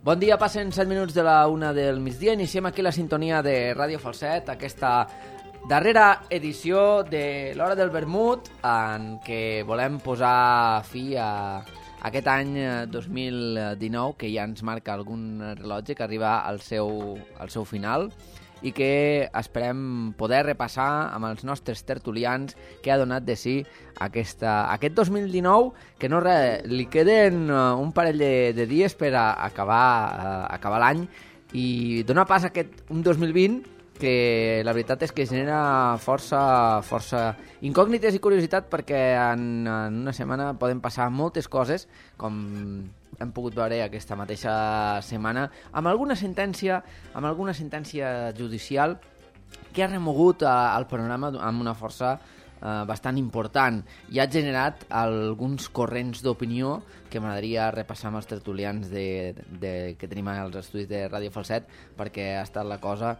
Bon dia, passen 7 minuts de la 1 del migdia. Iniciem aquí la sintonia de Ràdio Falset, aquesta darrera edició de l'Hora del Vermut, en què volem posar fi a aquest any 2019, que ja ens marca algun rellotge, que arriba al seu final, i que esperem poder repassar amb els nostres tertulians què ha donat de si aquest 2019, que no res, li queden un parell de dies per acabar l'any i donar pas a un 2020 que la veritat és que genera força incògnites i curiositat, perquè en una setmana poden passar moltes coses, com hem pogut veure aquesta mateixa setmana, amb alguna sentència judicial que ha remogut el panorama amb una força bastant important i ha generat alguns corrents d'opinió que m'agradaria repassar amb els tertulians que tenim als estudis de Ràdio Falset, perquè ha estat la cosa...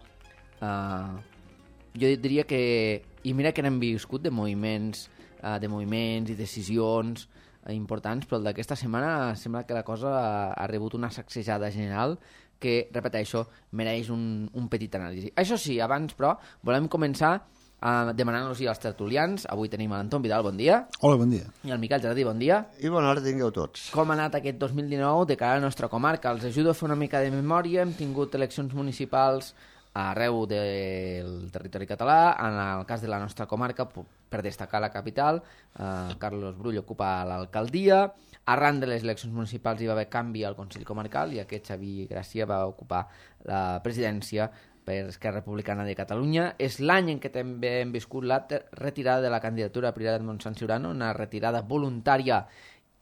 jo diria que... I mira que n'hem viscut de moviments i decisions importants, però el d'aquesta setmana sembla que la cosa ha rebut una sacsejada general que, repeteixo, mereix un petit anàlisi. Això sí, abans, però, volem començar demanant-los als tertulians. Avui tenim l'Anton Vidal, bon dia. Hola, bon dia. I el Miquel Jardí, bon dia. I bona hora tingueu tots. Com ha anat aquest 2019 de cara a la nostra comarca? Els ajudo a fer una mica de memòria. Hem tingut eleccions municipals arreu del territori català. En el cas de la nostra comarca, per destacar la capital, Carlos Brull ocupa l'alcaldia. Arran de les eleccions municipals hi va haver canvi al Consell Comarcal i aquest Xavi Gràcia va ocupar la presidència per Esquerra Republicana de Catalunya. És l'any en què també hem viscut la retirada de la candidatura a Priorat Montsant Siurana, una retirada voluntària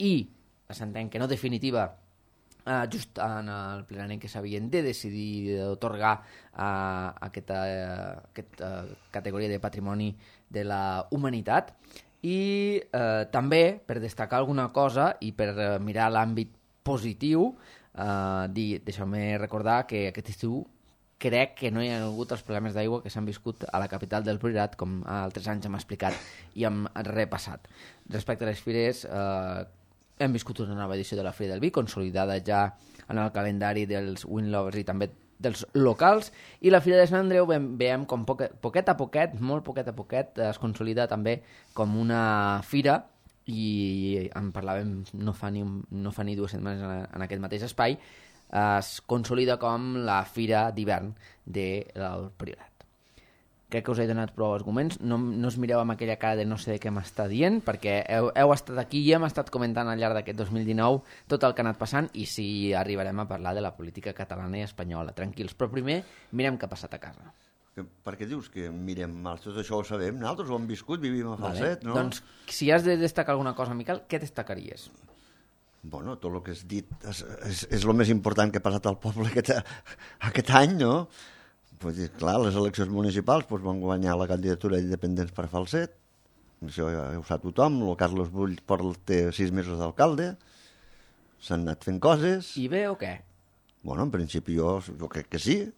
i, s'entén que no definitiva, just en el plenari en què s'havien de decidir d'otorgar aquesta categoria de patrimoni de la humanitat. I també, per destacar alguna cosa i per mirar l'àmbit positiu, deixeu-me recordar que aquest estiu crec que no hi ha hagut els problemes d'aigua que s'han viscut a la capital del Priorat, com altres anys hem explicat i hem repassat. Respecte a les fires, hem viscut una nova edició de la Fira del Vi, consolidada ja en el calendari dels wine lovers i també dels locals, i la Fira de Sant Andreu veiem com poquet a poquet, molt poquet a poquet, es consolida també com una fira, i en parlàvem no fa ni 2 setmanes en aquest mateix espai, es consolida com la fira d'hivern del Priorat. Crec que us he donat prou arguments. No us mireu amb aquella cara de no sé què m'està dient, perquè heu estat aquí i hem estat comentant al llarg d'aquest 2019 tot el que ha anat passant, i sí arribarem a parlar de la política catalana i espanyola. Tranquils, però primer mirem què ha passat a casa. Per què dius que mirem mal? Tot això ho sabem, nosaltres ho hem viscut, vivim a Falset, no? Doncs si has de destacar alguna cosa, Miquel, què destacaries? Bueno, tot el que has dit és el més important que ha passat al poble aquest any, no? Pues, clar, les eleccions municipals van guanyar la candidatura d'independents per Falset, això ja ho sap tothom. El Carlos Brull té 6 mesos d'alcalde, s'han anat fent coses. I bé o què? Bueno, en principi jo crec que sí.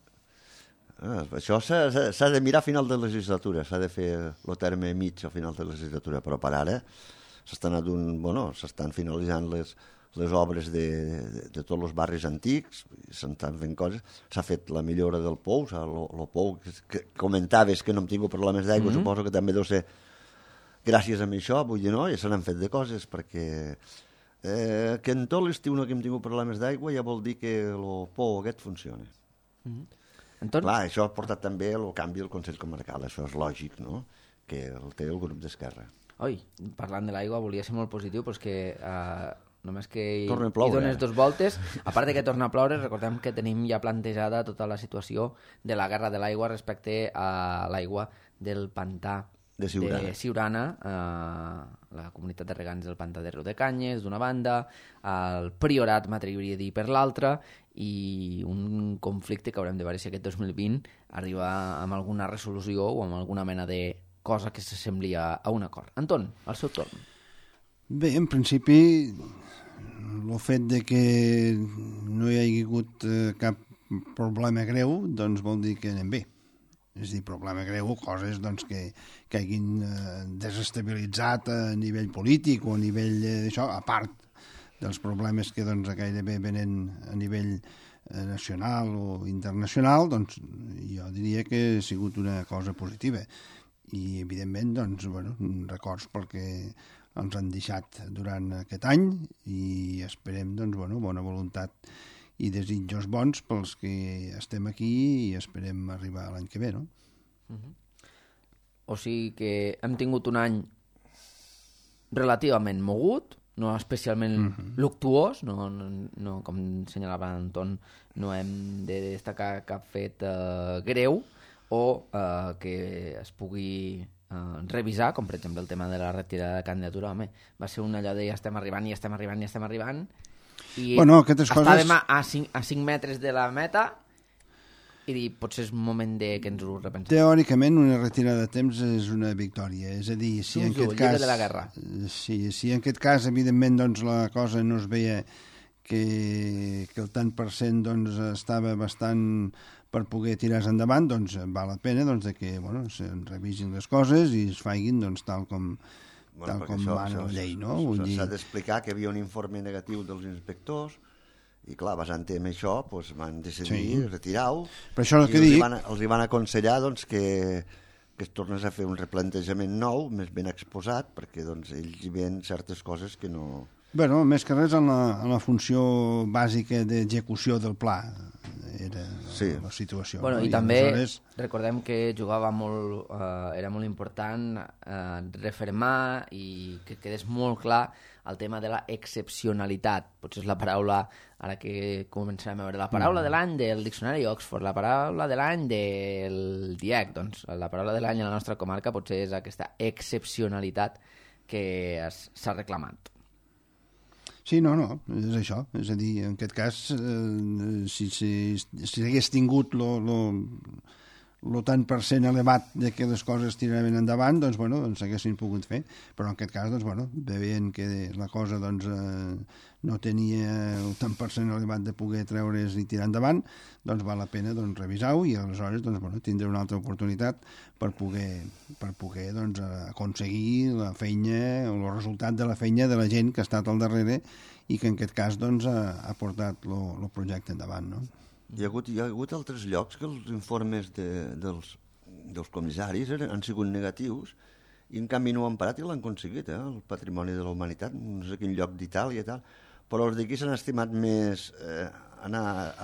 Això s'ha de mirar a final de legislatura, s'ha de fer el terme mig a final de legislatura, però per ara s'estan finalitzant les obres de tots els barris antics, s'estan fent coses. S'ha fet la millora del pou, el pou que comentaves que no hem tingut problemes d'aigua, suposo que també deu ser gràcies a això, vull dir, no? Ja se n'han fet de coses, perquè que en tot l'estiu no hem tingut problemes d'aigua ja vol dir que el pou aquest funciona. Clar, això ha portat també el canvi del Consell Comarcal, això és lògic, no? Que el té el grup d'Esquerra. Oi, parlant de l'aigua, volia ser molt positiu, però és que només que hi dones 2 voltes, a part de que torna a ploure, recordem que tenim ja plantejada tota la situació de la guerra de l'aigua respecte a l'aigua del pantà de Siurana, la comunitat de regants del pantà de Riudecanyes d'una banda, el Priorat, m'atreviria a dir, per l'altra, i un conflicte que haurem de veure si aquest 2020 arriba amb alguna resolució o amb alguna mena de cosa que s'assembli a un acord. Anton, al seu torn. Bé, en principi, el fet de que no hi hagi hagut cap problema greu, doncs vol dir que anem bé. És a dir, problema greu, coses doncs, que hagin desestabilitzat a nivell polític o a nivell d'això, a part dels problemes que doncs, gairebé venen a nivell nacional o internacional, doncs jo diria que ha sigut una cosa positiva. I, evidentment, doncs, bueno, records perquè ens han deixat durant aquest any i esperem, doncs, bueno, bona voluntat i desitjos bons pels que estem aquí i esperem arribar l'any que ve, no? O sigui que hem tingut un any relativament mogut, no especialment luctuós, no com senyalava Anton, no hem de destacar cap fet greu o que es pugui revisar, com per exemple el tema de la retirada de candidatura. Home, va ser un allò de ja estem arribant i bueno, aquestes estàvem coses... a 5 metres de la meta i dir, potser és un moment de que ens ho repensem. Teòricament, una retirada de temps és una victòria. És a dir, si en aquest cas... de la guerra. Sí, si en aquest cas, evidentment, doncs, la cosa no es veia que el tant per cent doncs, estava bastant per poder tirar-se endavant, doncs val la pena doncs, que bueno, se revisin les coses i es faiguin doncs, tal com mana la llei. No? S'ha d'explicar que hi havia un informe negatiu dels inspectors i clar, basant en això doncs, van decidir retirar-ho i els van aconsellar doncs, que es tornés a fer un replantejament nou, més ben exposat, perquè doncs, ells hi veien certes coses que no... Bueno, més que res en la funció bàsica d'execució del pla era la situació. Bueno, no? I també recordem que jugava molt, era molt important refermar i que quedés molt clar el tema de la excepcionalitat. Potser és la paraula, ara que començarem a veure, la paraula de l'any del diccionari Oxford, la paraula de l'any del DIEC, doncs la paraula de l'any a la nostra comarca potser és aquesta excepcionalitat que s'ha reclamat. Sí, no, és això. És a dir, en aquest cas, si hagués tingut el tant per cent elevat de que les coses tiraven endavant, doncs, bueno, s'haguessin pogut fer. Però en aquest cas, doncs, bueno, veient que la cosa doncs, no tenia el tant per cent elevat de poder treure's i tirar endavant, doncs val la pena doncs, revisar-ho i aleshores doncs, bueno, tindré una altra oportunitat per poder doncs, aconseguir la feina o el resultat de la feina de la gent que ha estat al darrere i que en aquest cas doncs, ha portat el projecte endavant, no? Hi ha hagut altres llocs que els informes dels comissaris han sigut negatius i en canvi no ho han parat i l'han aconseguit, el patrimoni de la humanitat, no sé quin lloc d'Itàlia i tal, però els d'aquí s'han estimat més anar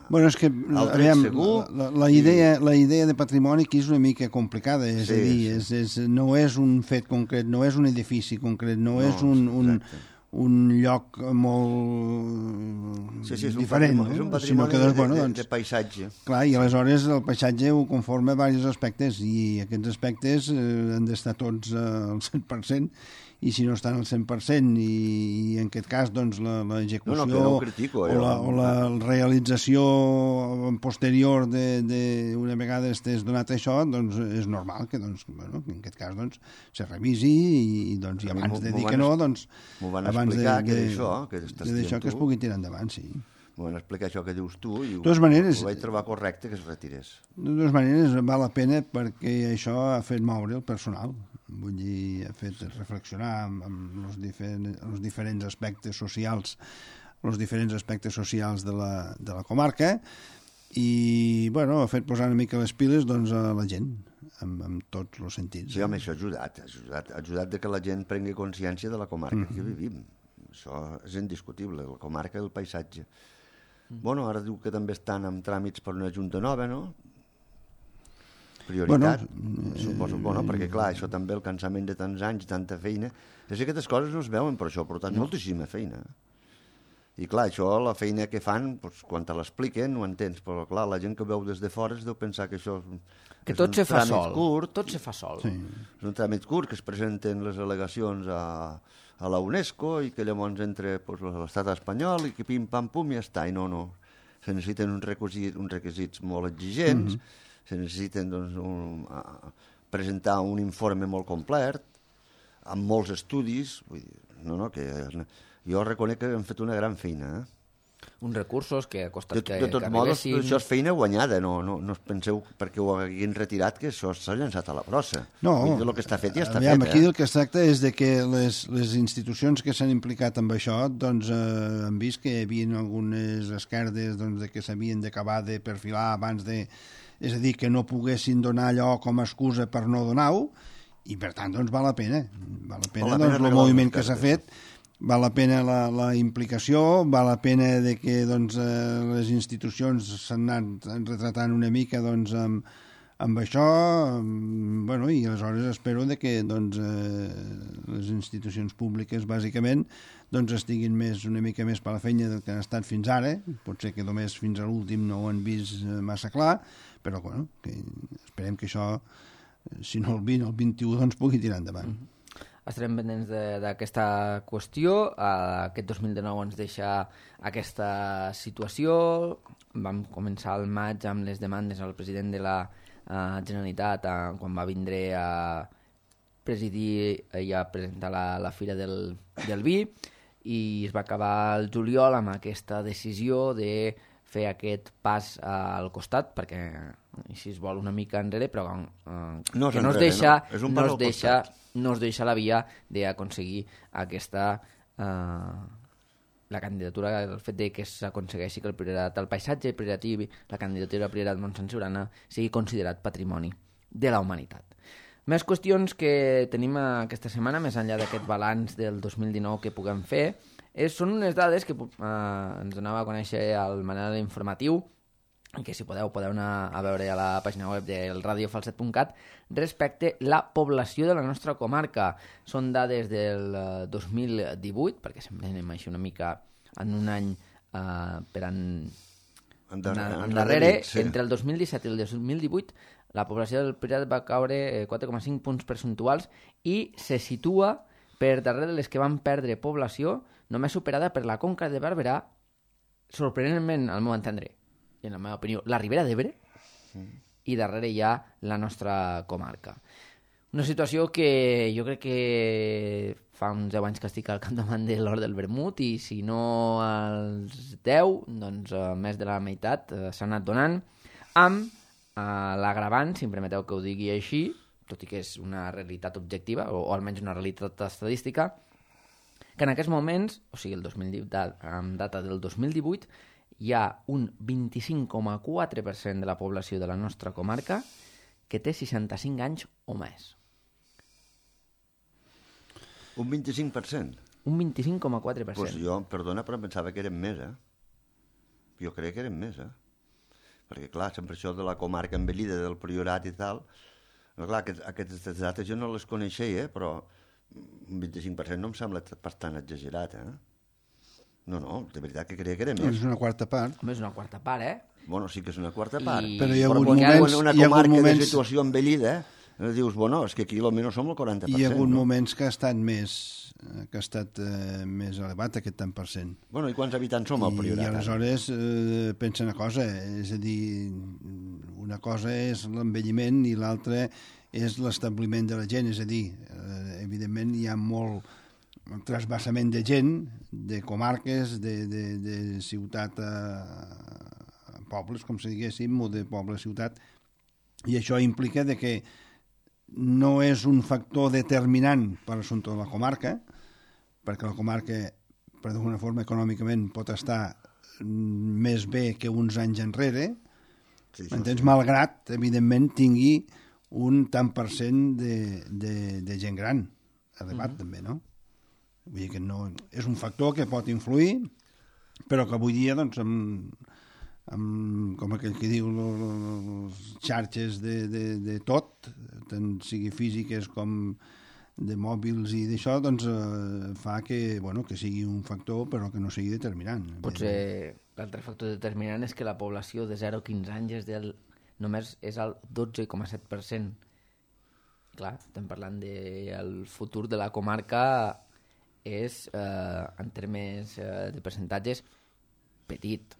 bueno, és que, al tret segur. La idea de patrimoni aquí és una mica complicada, és a dir, no és un fet concret, no és un edifici concret, no és un lloc molt diferent, és un patrimoni de paisatge. Clar, i aleshores el paisatge ho conforma diversos aspectes i aquests aspectes han d'estar tots al 100% i si no estan al 100% i en aquest cas doncs l'execució o la realització posterior d'una vegada estés donat això, doncs és normal que doncs, bueno, en aquest cas doncs, se revisi i doncs i abans de dir que no doncs m'ho van explicar que d'això que es pugui tirar endavant, sí. M'ho van explicar això que dius tu i ho vaig trobar correcte que es retirés. De totes maneres val la pena perquè això ha fet moure el personal. Vull dir, ha fet reflexionar amb els diferents aspectes socials de la comarca i, bueno, ha fet posar una mica les piles doncs, a la gent, en tots els sentits. Sí, home, això ha ajudat que la gent prengui consciència de la comarca que vivim. Això és indiscutible, la comarca del paisatge. Bueno, ara diu que també estan en tràmits per una junta nova, no? Prioritat, suposo, perquè clar, això també, el cansament de tants anys, tanta feina, és que aquestes coses no es veuen, però això ha portat moltíssima feina. I clar, això, la feina que fan, doncs, quan te l'expliquen, ho entens, però clar, la gent que veu des de fora es deu pensar que això és un tràmit curt. Tot se fa sol. Sí. És un tràmit curt, que es presenten les al·legacions a la UNESCO i que llavors entra l'estat espanyol i que pim-pam-pum i ja està. I no. Se necessiten uns requisits molt exigents, se necessiten doncs, presentar un informe molt complet, amb molts estudis. Vull dir, que jo reconec que hem fet una gran feina. uns recursos que ha costat que De tots modos, arribessin. això és feina guanyada, no us penseu perquè ho haguin retirat que això s'ha llançat a la brossa. No, Vull dir, el que està fet ja està aviam, fet. Aquí el que es tracta és de que les institucions que s'han implicat amb això doncs, han vist que hi havia algunes esquerdes doncs, de que s'havien d'acabar de perfilar abans de... És a dir, que no poguessin donar allò com a excusa per no donar-ho, i per tant doncs, val la pena. Val la pena, doncs, el moviment que s'ha fet, val la pena la implicació, val la pena de que doncs, les institucions s'han anat retratant una mica doncs, amb això, bueno, i aleshores espero de que doncs, les institucions públiques bàsicament doncs, estiguin una mica més per la feina del que han estat fins ara. Pot ser que només fins a l'últim no ho han vist massa clar, però bueno, esperem que això, si no el 20, el 21, doncs pugui tirar endavant. Estarem pendents d'aquesta qüestió. Aquest 2019 ens deixa aquesta situació. Vam començar al maig amb les demandes al president de la Generalitat quan va vindre a presidir i a presentar la Fira del Vi, i es va acabar el juliol amb aquesta decisió de fer aquest pas al costat, perquè així es vol una mica enrere, però que no es deixa la via d'aconseguir aquesta la candidatura, el fet de que s'aconsegueixi que el paisatge prioritatiu, la candidatura prioritat Montsant Siurana sigui considerat patrimoni de la humanitat. Més qüestions que tenim aquesta setmana, més enllà d'aquest balanç del 2019 que puguem fer, són unes dades que ens donava a conèixer el Manel informatiu, que si podeu anar a veure a la pàgina web del radiofalset.cat, respecte la població de la nostra comarca. Són dades del 2018, perquè sempre anem així una mica en un any per endarrere. Sí. Entre el 2017 i el 2018 la població del Priorat va caure 4,5 punts percentuals i se situa per darrere de les que van perdre població, només superada per la Conca de Barberà, sorprenentment, al meu entendre, i en la meva opinió, la Ribera d'Ebre, i darrere hi ha la nostra comarca. Una situació que jo crec que fa uns 10 anys que estic al capdavant de l'Hort del Vermut, i si no als 10, doncs més de la meitat s'ha anat donant, amb l'agravant, si em permeteu que ho digui així, tot i que és una realitat objectiva, o almenys una realitat estadística, que en aquests moments, o sigui, amb data del 2018, hi ha un 25,4% de la població de la nostra comarca que té 65 anys o més. Un 25%? Un 25,4%. Pues jo, perdona, però em pensava que eren més, Jo crec que eren més, Perquè, clar, sempre això de la comarca envellida, del Priorat i tal, clar, aquestes dates jo no les coneixia, però un 25% no em sembla bastant exagerat, No, de veritat que creia que era més. És una quarta part. Home, és una quarta part, Bueno, sí que és una quarta part. Però hi ha hagut moments... Una comarca de situació envellida, dius, bueno, és que aquí almenys som el 40%. Hi ha hagut moments que ha estat més elevat aquest tant per cent. Bueno, i quants habitants som al Priorat? I aleshores pensa una cosa, és a dir, una cosa és l'envelliment i l'altra és l'establiment de la gent, és a dir, evidentment hi ha molt trasbassament de gent, de comarques, de ciutat a pobles, com si diguéssim, o de poble a ciutat, i això implica de que no és un factor determinant per l'assumpte de la comarca, perquè la comarca, per d'alguna forma, econòmicament pot estar més bé que uns anys enrere, m'entens? Malgrat, evidentment, tingui un tant per cent de gent gran, elevat també, no? Vull dir que no, és un factor que pot influir, però que avui dia, doncs, com aquell que diu, les xarxes de tot, tant sigui físiques com de mòbils i d'això, doncs fa que, bueno, que sigui un factor però que no sigui determinant. Potser l'altre factor determinant és que la població de 0 a 15 anys només és el 12,7%. Clar, estem parlant del futur de la comarca és, en termes de percentatges, petit.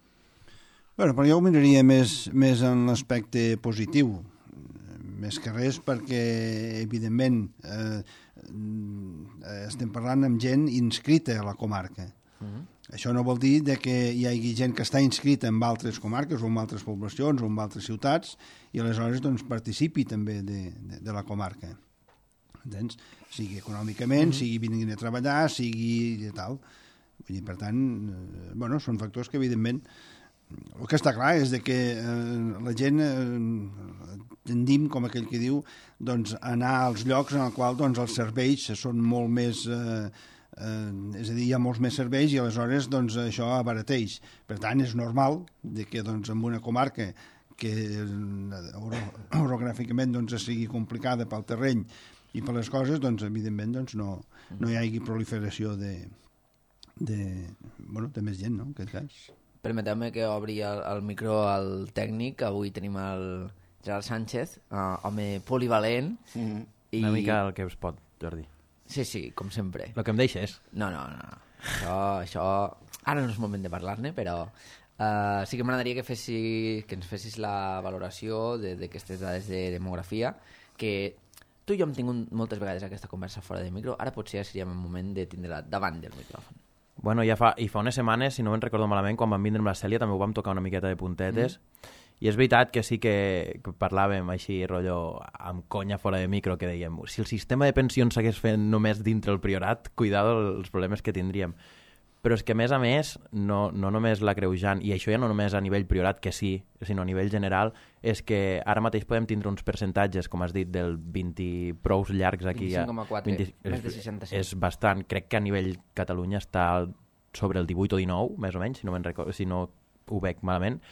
Bueno, però jo ho miraria més en l'aspecte positiu, més que res perquè, evidentment, estem parlant amb gent inscrita a la comarca. Això no vol dir que hi hagi gent que està inscrita en altres comarques o en altres poblacions o en altres ciutats i aleshores doncs, participi també de la comarca. Entens? Sigui econòmicament, sigui vinguin a treballar, sigui tal. Vull dir, per tant, bueno, són factors que evidentment... El que està clar és que la gent tendim, com aquell que diu, doncs, anar als llocs en els quals doncs, els serveis són molt més... és a dir, hi ha molts més serveis i aleshores doncs, això abarateix. Per tant, és normal que doncs, en una comarca que orogràficament doncs, sigui complicada pel terreny i per les coses, doncs, evidentment doncs, no hi hagi proliferació de més gent, no?, en aquest cas. Permeteu-me que obri el micro al tècnic. Avui tenim el Gerard Sánchez, home polivalent. I... Una mica el que us pot, Jordi. Sí, com sempre. El que em deixes. No. Això... Ara no és moment de parlar-ne, però sí que m'agradaria que ens fessis la valoració d'aquestes dades de demografia, que tu i jo hem tingut moltes vegades aquesta conversa fora de micro, ara potser ja seria el moment de tindre-la davant del micròfon. Bueno, fa unes setmanes, si no me'n recordo malament, quan vam vindre amb la Cèlia també ho vam tocar una miqueta de puntetes, i és veritat que sí que parlàvem així, rotllo, amb conya fora de micro, que dèiem, si el sistema de pensions s'hagués fet només dintre el Priorat, cuidado els problemes que tindríem. Però és que, a més, no només l'agreujant, i això ja no només a nivell Priorat, que sí, sinó a nivell general, és que ara mateix podem tindre uns percentatges, com has dit, del 20 prous llargs aquí. 25,4, més de 65. És bastant. Crec que a nivell Catalunya està sobre el 18 o 19, més o menys, si no ho veig malament.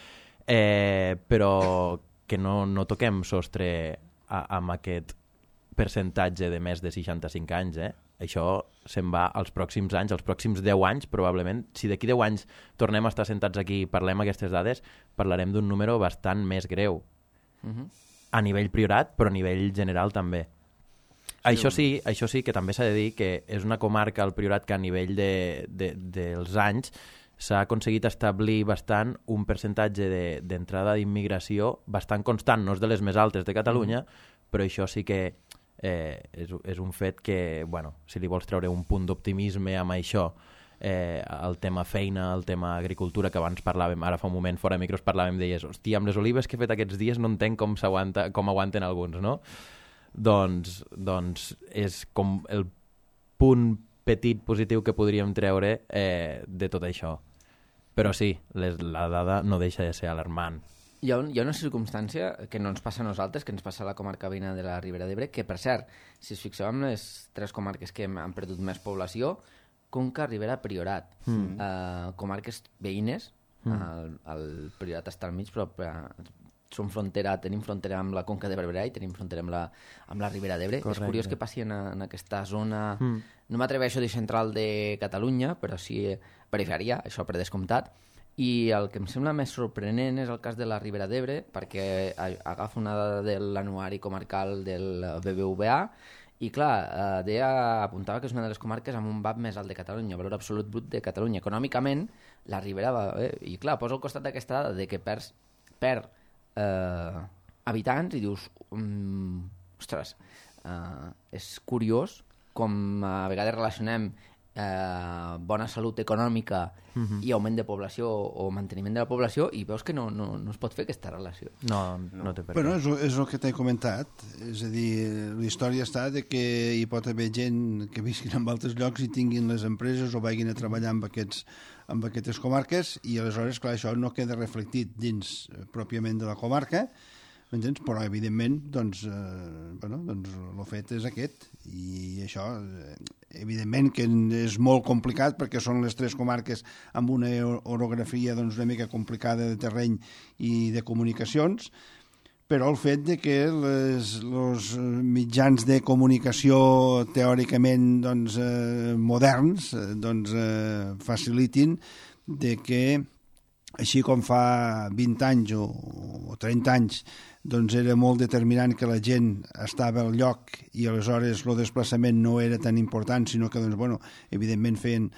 Però que no toquem sostre amb aquest percentatge de més de 65 anys, Això se'n va als pròxims anys, als pròxims 10 anys, probablement. Si d'aquí 10 anys tornem a estar sentats aquí i parlem aquestes dades, parlarem d'un número bastant més greu. A nivell Priorat, però a nivell general també. Sí. Això sí que també s'ha de dir que és una comarca, el Priorat, que a nivell dels anys s'ha aconseguit establir bastant un percentatge d'entrada d'immigració bastant constant, no és de les més altes de Catalunya, però això sí que és un fet que, bueno, si li vols treure un punt d'optimisme amb això, el tema feina, el tema agricultura, que abans parlàvem, ara fa un moment fora de micros parlàvem, deies, hòstia, amb les olives que he fet aquests dies no entenc com aguanten alguns, no? Doncs és com el punt petit positiu que podríem treure de tot això. Però sí, la dada no deixa de ser alarmant. Hi ha una circumstància que no ens passa a nosaltres, que ens passa a la comarca veïna de la Ribera d'Ebre, que, per cert, si us fixeu en les 3 comarques que han perdut més població, Conca, Ribera, Priorat. Comarques veïnes, el Priorat està al mig, però tenim frontera amb la Conca de Barberà i tenim frontera amb la Ribera d'Ebre. Correcte. És curiós que passi en aquesta zona, no m'atreveixo a dir central de Catalunya, però sí perifèria, això per descomptat. I el que em sembla més sorprenent és el cas de la Ribera d'Ebre, perquè agafa una dada de l'anuari comarcal del BBVA i, clar, apuntava que és una de les comarques amb un VAP més alt de Catalunya, valor absolut brut de Catalunya. Econòmicament, la Ribera va bé. I, clar, posa al costat d'aquesta dada de que perd habitants i dius, ostres, és curiós com a vegades relacionem bona salut econòmica i augment de població o manteniment de la població i veus que no es pot fer aquesta relació. No té per què. Bueno, és el que t'he comentat. És a dir, la història està de que hi pot haver gent que visquin en altres llocs i tinguin les empreses o vagin a treballar amb aquestes comarques i aleshores, clar, això no queda reflectit dins pròpiament de la comarca, m'entens? Però, evidentment, doncs, el fet és aquest. I això, evidentment, que és molt complicat perquè són les 3 comarques amb una orografia doncs, una mica complicada de terreny i de comunicacions, però el fet de que els mitjans de comunicació teòricament doncs, moderns doncs, facilitin de que així com fa 20 anys o 30 anys doncs era molt determinant que la gent estava al lloc i aleshores el desplaçament no era tan important, sinó que doncs, bueno, evidentment feien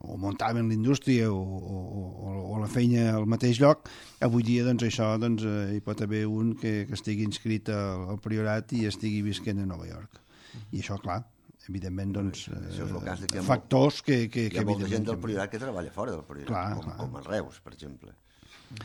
o muntaven la indústria o la feina al mateix lloc. Avui dia doncs, això doncs, hi pot haver un que estigui inscrit al Priorat i estigui visquent a Nova York. I això, clar, evidentment, doncs, Això és el cas de que factors que hi ha molta gent del evidentment... Priorat que treballa fora del Priorat, Clar. com a Reus, per exemple.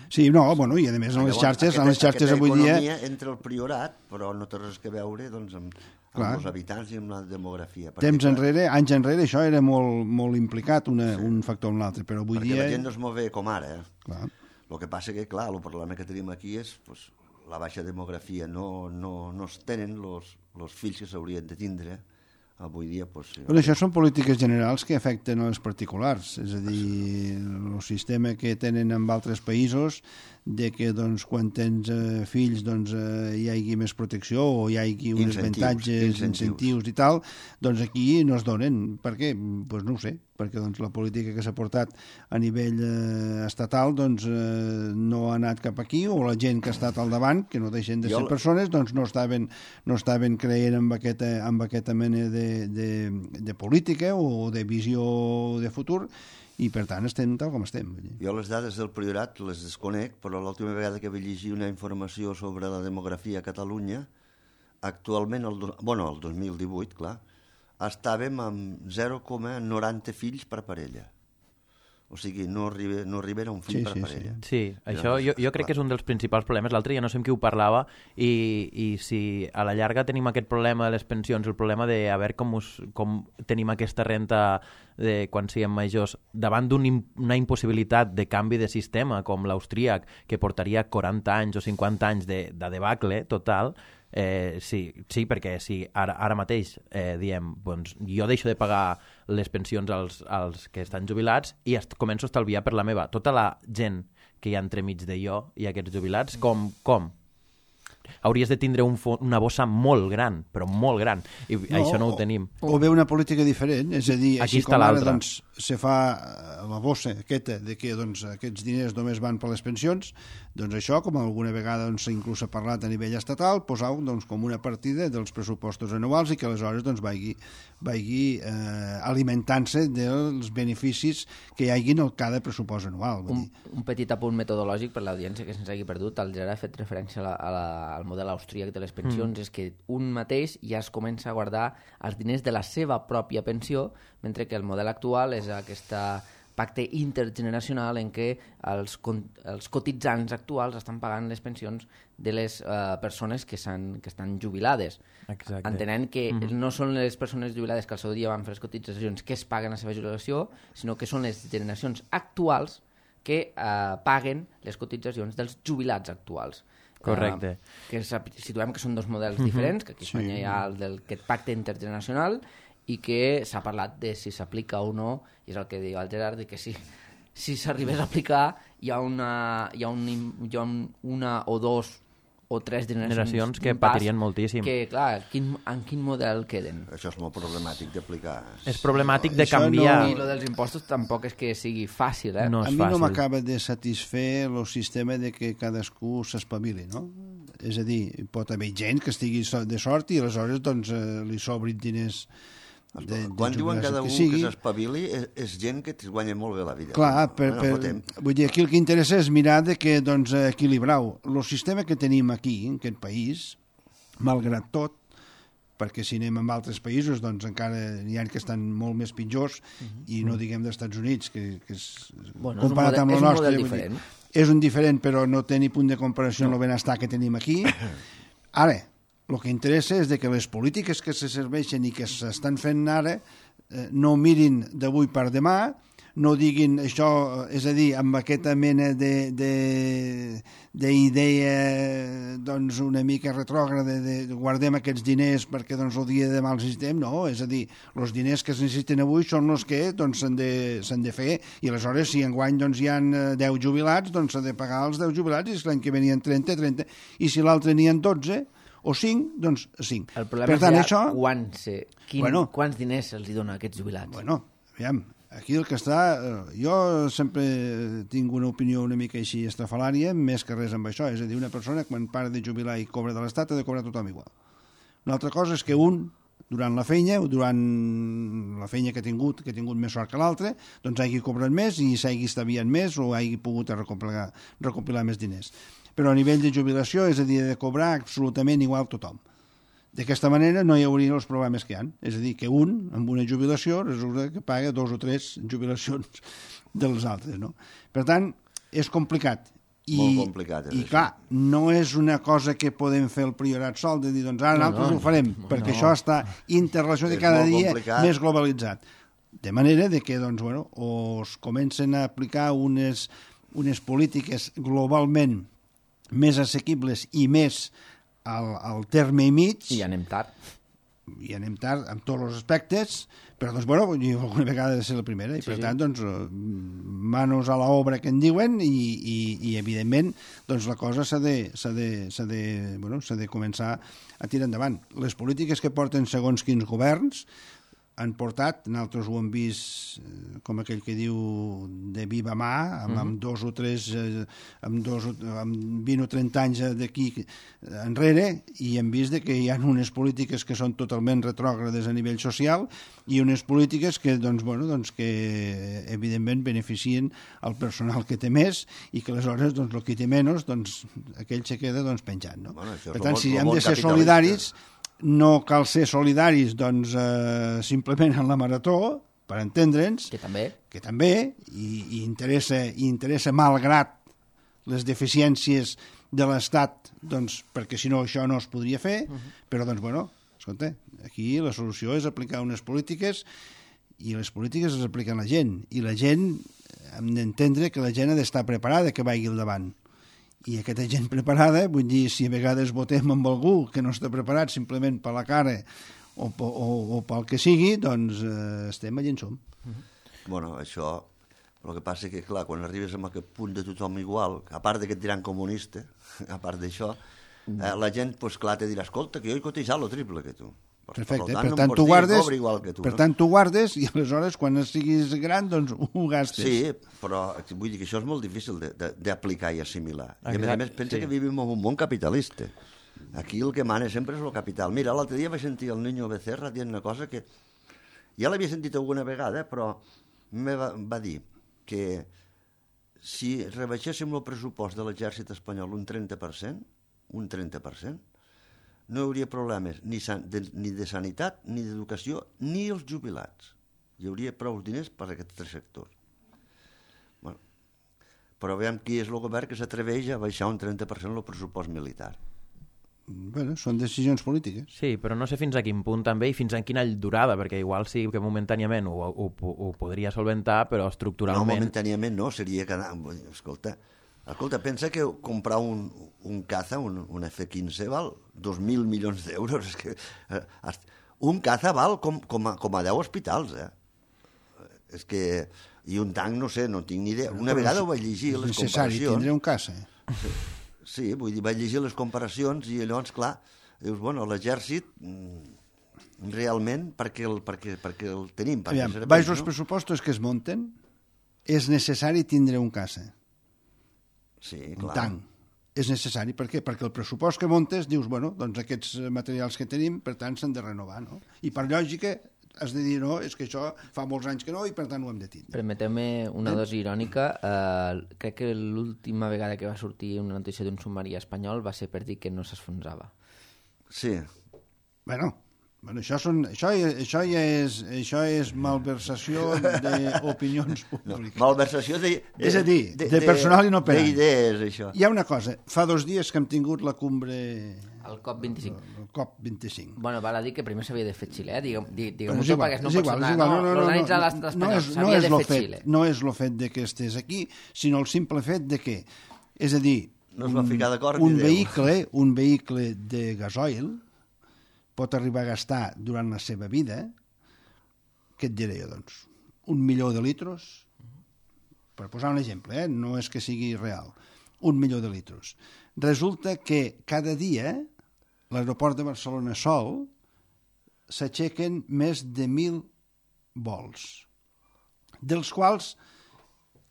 Sí, no, bueno, i a més en les xarxes avui dia... Aquesta economia entre el Priorat, però no té res que veure doncs, amb els habitants i amb la demografia. Anys enrere, això era molt implicat, un factor o un altre, però avui dia... Perquè la gent no es mou bé com ara. Clar. El que passa que, clar, el problema que tenim aquí és pues, la baixa demografia. No es tenen els fills que s'haurien de tindre. Avui dia, pues, Però això són polítiques generals que afecten als particulars, és a dir, el sistema que tenen en altres països de que doncs, quan tens fills doncs, hi hagi més protecció o hi hagi uns avantatges, incentius i tal, doncs aquí no es donen. Per què? Doncs no ho sé, perquè doncs, la política que s'ha portat a nivell estatal doncs, no ha anat cap aquí, o la gent que ha estat al davant, que no deixen de ser persones, doncs no estaven creient amb aquesta mena de política o de visió de futur, i per tant estem tal com estem. Jo les dades del Priorat les desconec, però l'última vegada que vaig llegir una informació sobre la demografia a Catalunya, actualment, el 2018, clar, estàvem amb 0,90 fills per parella. O sigui, no arriben a un fill per parella. Sí, això jo crec que és un dels principals problemes. L'altre dia no sé amb qui ho parlava i si a la llarga tenim aquest problema de les pensions, el problema de a veure com tenim aquesta renta de quan siguem majors, davant d'una impossibilitat de canvi de sistema com l'austríac, que portaria 40 anys o 50 anys de debacle total. Sí, perquè si ara mateix diem, doncs, jo deixo de pagar les pensions als que estan jubilats i començo a estalviar per la meva. Tota la gent que hi ha entremig de jo i aquests jubilats, com? Hauries de tindre una bossa molt gran, però molt gran, i això no ho tenim. O bé una política diferent, és a dir, aquí així com ara doncs, se fa la bossa aquesta de que doncs, aquests diners només van per les pensions, doncs això, com alguna vegada doncs, inclús s'ha parlat a nivell estatal, posar doncs, com una partida dels pressupostos anuals i que aleshores doncs, vagi alimentant-se dels beneficis que hi hagi en cada pressupost anual. Un petit apunt metodològic per l'audiència que se'ns hagi perdut. El Gerard ha fet referència al model austríac de les pensions, és que un mateix ja es comença a guardar els diners de la seva pròpia pensió, mentre que el model actual és aquest pacte intergeneracional en què els cotitzants actuals estan pagant les pensions de les persones que estan jubilades. Exacte. Entenent que no són les persones jubilades que al seu dia van fer les cotitzacions que es paguen la seva jubilació, sinó que són les generacions actuals que paguen les cotitzacions dels jubilats actuals. Correcte. Que situem que són dos models diferents, que aquí a Espanya hi ha aquest pacte intergeneracional i que s'ha parlat de si s'aplica o no, i és el que diu el Gerard, de que si s'arribés a aplicar hi ha una o dos o tres generacions que patirien moltíssim. Que, clar, en quin model queden? Això és molt problemàtic d'aplicar. És problemàtic de canviar. I el dels impostos tampoc és que sigui fàcil, eh? No és fàcil. A mi no m'acaba de satisfer el sistema de que cadascú s'espavili, no? És a dir, pot haver gent que estigui de sort i aleshores doncs, li sobrin diners quan diuen cada un que s'espavili és gent que es guanya molt bé la vida. Clar, vull dir, aquí el que interessa és mirar de que, doncs, equilibrar-ho. El sistema que tenim aquí, en aquest país, malgrat tot, perquè si anem a altres països doncs encara n'hi ha que estan molt més pitjors i no diguem dels Estats Units que és comparat amb el nostre és un diferent però no té ni punt de comparació amb el benestar que tenim aquí. Ara, el que interessa és que les polítiques que se serveixen i que s'estan fent ara no mirin d'avui per demà, no diguin això, és a dir, amb aquesta mena d'idea doncs una mica retrògrada de guardem aquests diners perquè doncs el dia de demà els necessitem, no, és a dir, els diners que es necessiten avui són els que doncs s'han de fer i aleshores si enguany doncs hi ha 10 jubilats doncs s'ha de pagar els 10 jubilats i l'any que ve n'hi ha 30 i si l'altre n'hi ha 12 o 5, doncs 5. El problema és ja quants diners se'ls dona a aquests jubilats. Bueno, aviam, aquí el que està... Jo sempre tinc una opinió una mica així estrafalària, més que res amb això. És a dir, una persona quan para de jubilar i cobra de l'Estat ha de cobrar tothom igual. Una altra cosa és que un, durant la feina que ha tingut més sort que l'altre, doncs hagi cobrat més i s'hagi estalviat més o hagi pogut recopilar més diners. Però a nivell de jubilació, és a dir, de cobrar absolutament igual tothom. D'aquesta manera no hi hauria els problemes que hi ha. És a dir, que un, amb una jubilació, resulta que paga 2 o 3 jubilacions dels altres, no? Per tant, és complicat. Molt complicat. I clar, no és una cosa que podem fer el priorat sol, de dir, doncs ara nosaltres ho farem, perquè això està interrelacionat i cada dia més globalitzat. De manera de que, doncs, bueno, o es comencen a aplicar unes polítiques globalment més assequibles i més al terme i mig. I anem tard. I anem tard en tots els aspectes, però doncs, bueno, alguna vegada ha de ser la primera, i per tant, doncs, manos a l'obra que en diuen, i evidentment, doncs la cosa s'ha de començar a tirar endavant. Les polítiques que porten segons quins governs han portat, nosaltres ho hem vist com aquell que diu de viva mà, amb 2 o 3 amb 20 o 30 anys d'aquí enrere, i hem vist que hi ha unes polítiques que són totalment retrògrades a nivell social i unes polítiques que, doncs, bueno, doncs, que evidentment beneficien el personal que té més, i que aleshores, doncs, el que té menys, doncs, aquell se queda, doncs, penjant, no? Bueno, per tant, si hem de ser solidaris, no cal ser solidaris, doncs, simplement en la marató, per entendre'ns, que també, i interessa malgrat les deficiències de l'Estat, doncs, perquè si no això no es podria fer, però, doncs, bueno, escolta, aquí la solució és aplicar unes polítiques, i les polítiques les apliquen la gent, i la gent hem d'entendre que la gent ha d'estar preparada que vagi al davant. I aquesta gent preparada, vull dir, si a vegades votem amb algú que no està preparat simplement per la cara o pel que sigui, doncs estem allà en som. Bueno, això, el que passa que, clar, quan arribes a aquest punt de tothom igual, a part d'aquest tirant comunista, a part d'això, la gent, doncs clar, te dirà, escolta, que jo he cotitzat lo triple que tu. Perfecte, per tant tu guardes i aleshores quan siguis gran doncs ho gastes. Sí, però vull dir que això és molt difícil d'aplicar i assimilar. I a més pensa que vivim en un món capitalista. Aquí el que mana sempre és el capital. Mira, l'altre dia vaig sentir el Niño Becerra dient una cosa que ja l'havia sentit alguna vegada, però va dir que si rebaixéssim el pressupost de l'exèrcit espanyol un 30%, no hi hauria problemes ni de sanitat, ni d'educació, ni els jubilats. Hi hauria prou diners per a aquests 3 sectors. Bueno, però veiem qui és el govern que s'atreveix a baixar un 30% el pressupost militar. Bueno, són decisions polítiques. Sí, però no sé fins a quin punt també i fins a quina durada, perquè igual sí que momentàniament ho podria solventar, però estructuralment... No, momentàniament no, seria que... Escolta, pensa que comprar un Caza, un F-15, val 2.000 milions d'euros. És que, un Caza val com a 10 hospitals, És que... I un tanc, no sé, no tinc ni idea. Una vegada ho vaig llegir, les comparacions... És necessari tindre un Caza. Sí, vull dir, vaig llegir les comparacions i llavors, clar, dius, bueno, l'exèrcit realment, perquè el tenim. Aviam, baix els pressupostos que es munten, és necessari tindre un Caza. Sí, clar. Un tanc. És necessari. Per què? Perquè el pressupost que montes, dius, bueno, doncs aquests materials que tenim, per tant, s'han de renovar, no? I per lògica has de dir, no, és que això fa molts anys que no i per tant ho hem de tindre. Permeteu-me una dosi irònica. Crec que l'última vegada que va sortir una notícia d'un submarí espanyol va ser per dir que no s'esfonsava. Sí. Bueno, això ja és malversació d'opinions públiques. No, malversació és a dir, de personal inoperant. D'idees, això. Hi ha una cosa, fa 2 dies que hem tingut la cumbre... El COP25. El COP25. Bueno, val a dir que primer s'havia de fer Xile, diguem-ho tot, perquè no pot sonar, l'organitza l'estat espanyol, s'havia de fer Xile. No és el fet de que estés aquí, sinó el simple fet de que, és a dir, un vehicle de gasoil pot arribar a gastar durant la seva vida, què et diré jo, doncs? 1 milió de litros, per posar un exemple, no és que sigui real, 1 milió de litros. Resulta que cada dia l'aeroport de Barcelona sol s'aixequen més de 1.000 vols, dels quals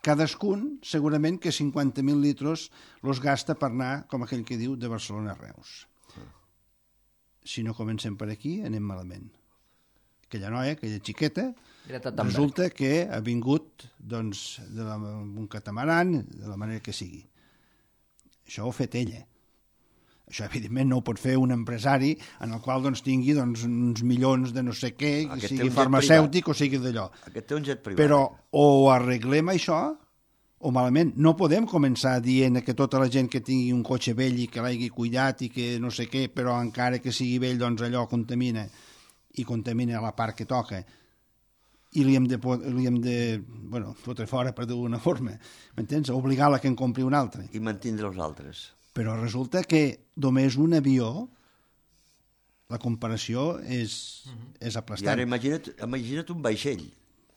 cadascun segurament que 50.000 litros los gasta per anar, com aquell que diu, de Barcelona a Reus. Si no comencem per aquí, anem malament. Aquella noia, aquella xiqueta, resulta que ha vingut doncs, un catamaran, de la manera que sigui. Això ho ha fet ella. Això, evidentment, no ho pot fer un empresari en el qual doncs, tingui doncs, uns milions de no sé què, que sigui farmacèutic o sigui d'allò. Aquest té un jet privat. Però o arreglem això o malament. No podem començar dient que tota la gent que tingui un cotxe vell i que l'hagi cuidat i que no sé què, però encara que sigui vell, doncs allò contamina i contamina la part que toca i li hem de fotre fora per d'alguna forma. M'entens? Obligar-la que en compri un altre. I mantindre els altres. Però resulta que només un avió, la comparació és aplastant. I ara imagina't un vaixell,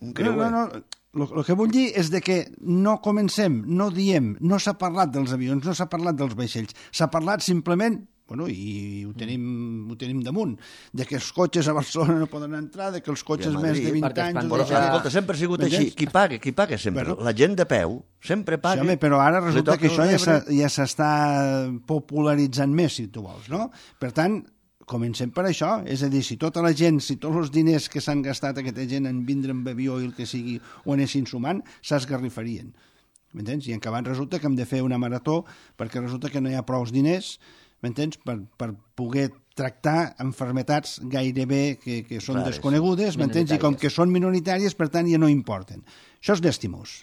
un creuer. No. El que vull dir és de que no comencem, no diem, no s'ha parlat dels avions, no s'ha parlat dels vaixells, s'ha parlat simplement, i ho tenim damunt, de que els cotxes a Barcelona no poden entrar, de que els cotxes més de 20 anys... Però, escolta, sempre ha sigut així. Qui paga sempre? La gent de peu sempre paga. Sí, home, però ara resulta que això ja s'està popularitzant més, si tu vols, no? Per tant, comencem per això, és a dir, si tota la gent, si tots els diners que s'han gastat aquesta gent en vindre amb avió i el que sigui ho anessin sumant, s'esgarrifarien. M'entens? I en acabat resulta que hem de fer una marató perquè resulta que no hi ha prou diners, m'entens? Per poder tractar enfermetats gairebé que són desconegudes, m'entens? I com que són minoritàries, per tant, ja no importen. Això és llastimós.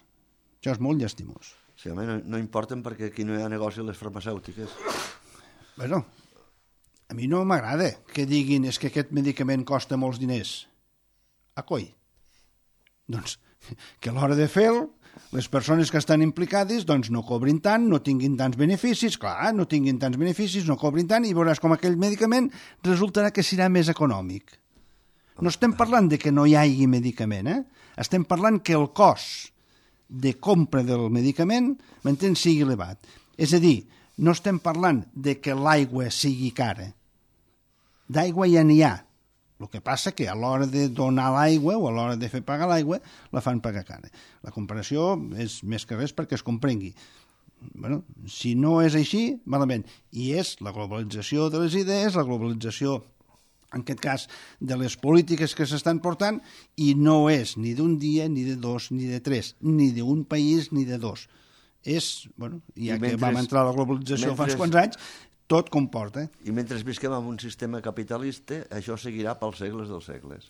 Això és molt llastimós. Sí, home, no importen perquè aquí no hi ha negoci a les farmacèutiques. Bueno, a mi no m'agrada que diguin que aquest medicament costa molts diners. A coi. Doncs que a l'hora de fer-lo, les persones que estan implicades doncs no cobrin tant, no tinguin tants beneficis, clar, no tinguin tants beneficis, no cobrin tant, i veuràs com aquell medicament resultarà que serà més econòmic. No estem parlant de que no hi hagi medicament, estem parlant que el cost de compra del medicament, m'entens, sigui elevat. És a dir, no estem parlant de que l'aigua sigui cara. D'aigua ja n'hi ha. El que passa que a l'hora de donar l'aigua o a l'hora de fer pagar l'aigua la fan pagar cara. La comparació és més que res perquè es comprengui. Si no és així, malament. I és la globalització de les idees, la globalització, en aquest cas, de les polítiques que s'estan portant, i no és ni d'un dia, ni de dos, ni de tres, ni d'un país, ni de dos. És, ja que vam entrar a la globalització fa uns quants anys, tot comporta. I mentre visquem en un sistema capitalista, això seguirà pels segles dels segles.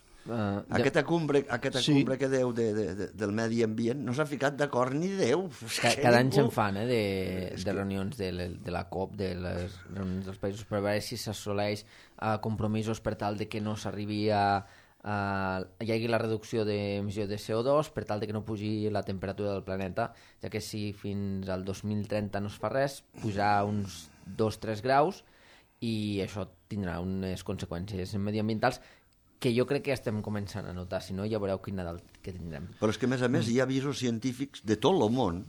Aquesta cumbre que deu del medi ambient no s'ha ficat d'acord ni Déu. Cada any se'n fan de reunions de la COP, de les reunions dels països, per veure si s'assoleix compromisos per tal de que no s'arribi hi hagi la reducció d'emissió de CO2 per tal de que no pugi la temperatura del planeta, ja que si fins al 2030 no es fa res, pujarà uns 2-3 graus i això tindrà unes conseqüències mediambientals que jo crec que estem començant a notar, si no ja veureu quin Nadal que tindrem. Però és que a més hi ha avisos científics de tot el món.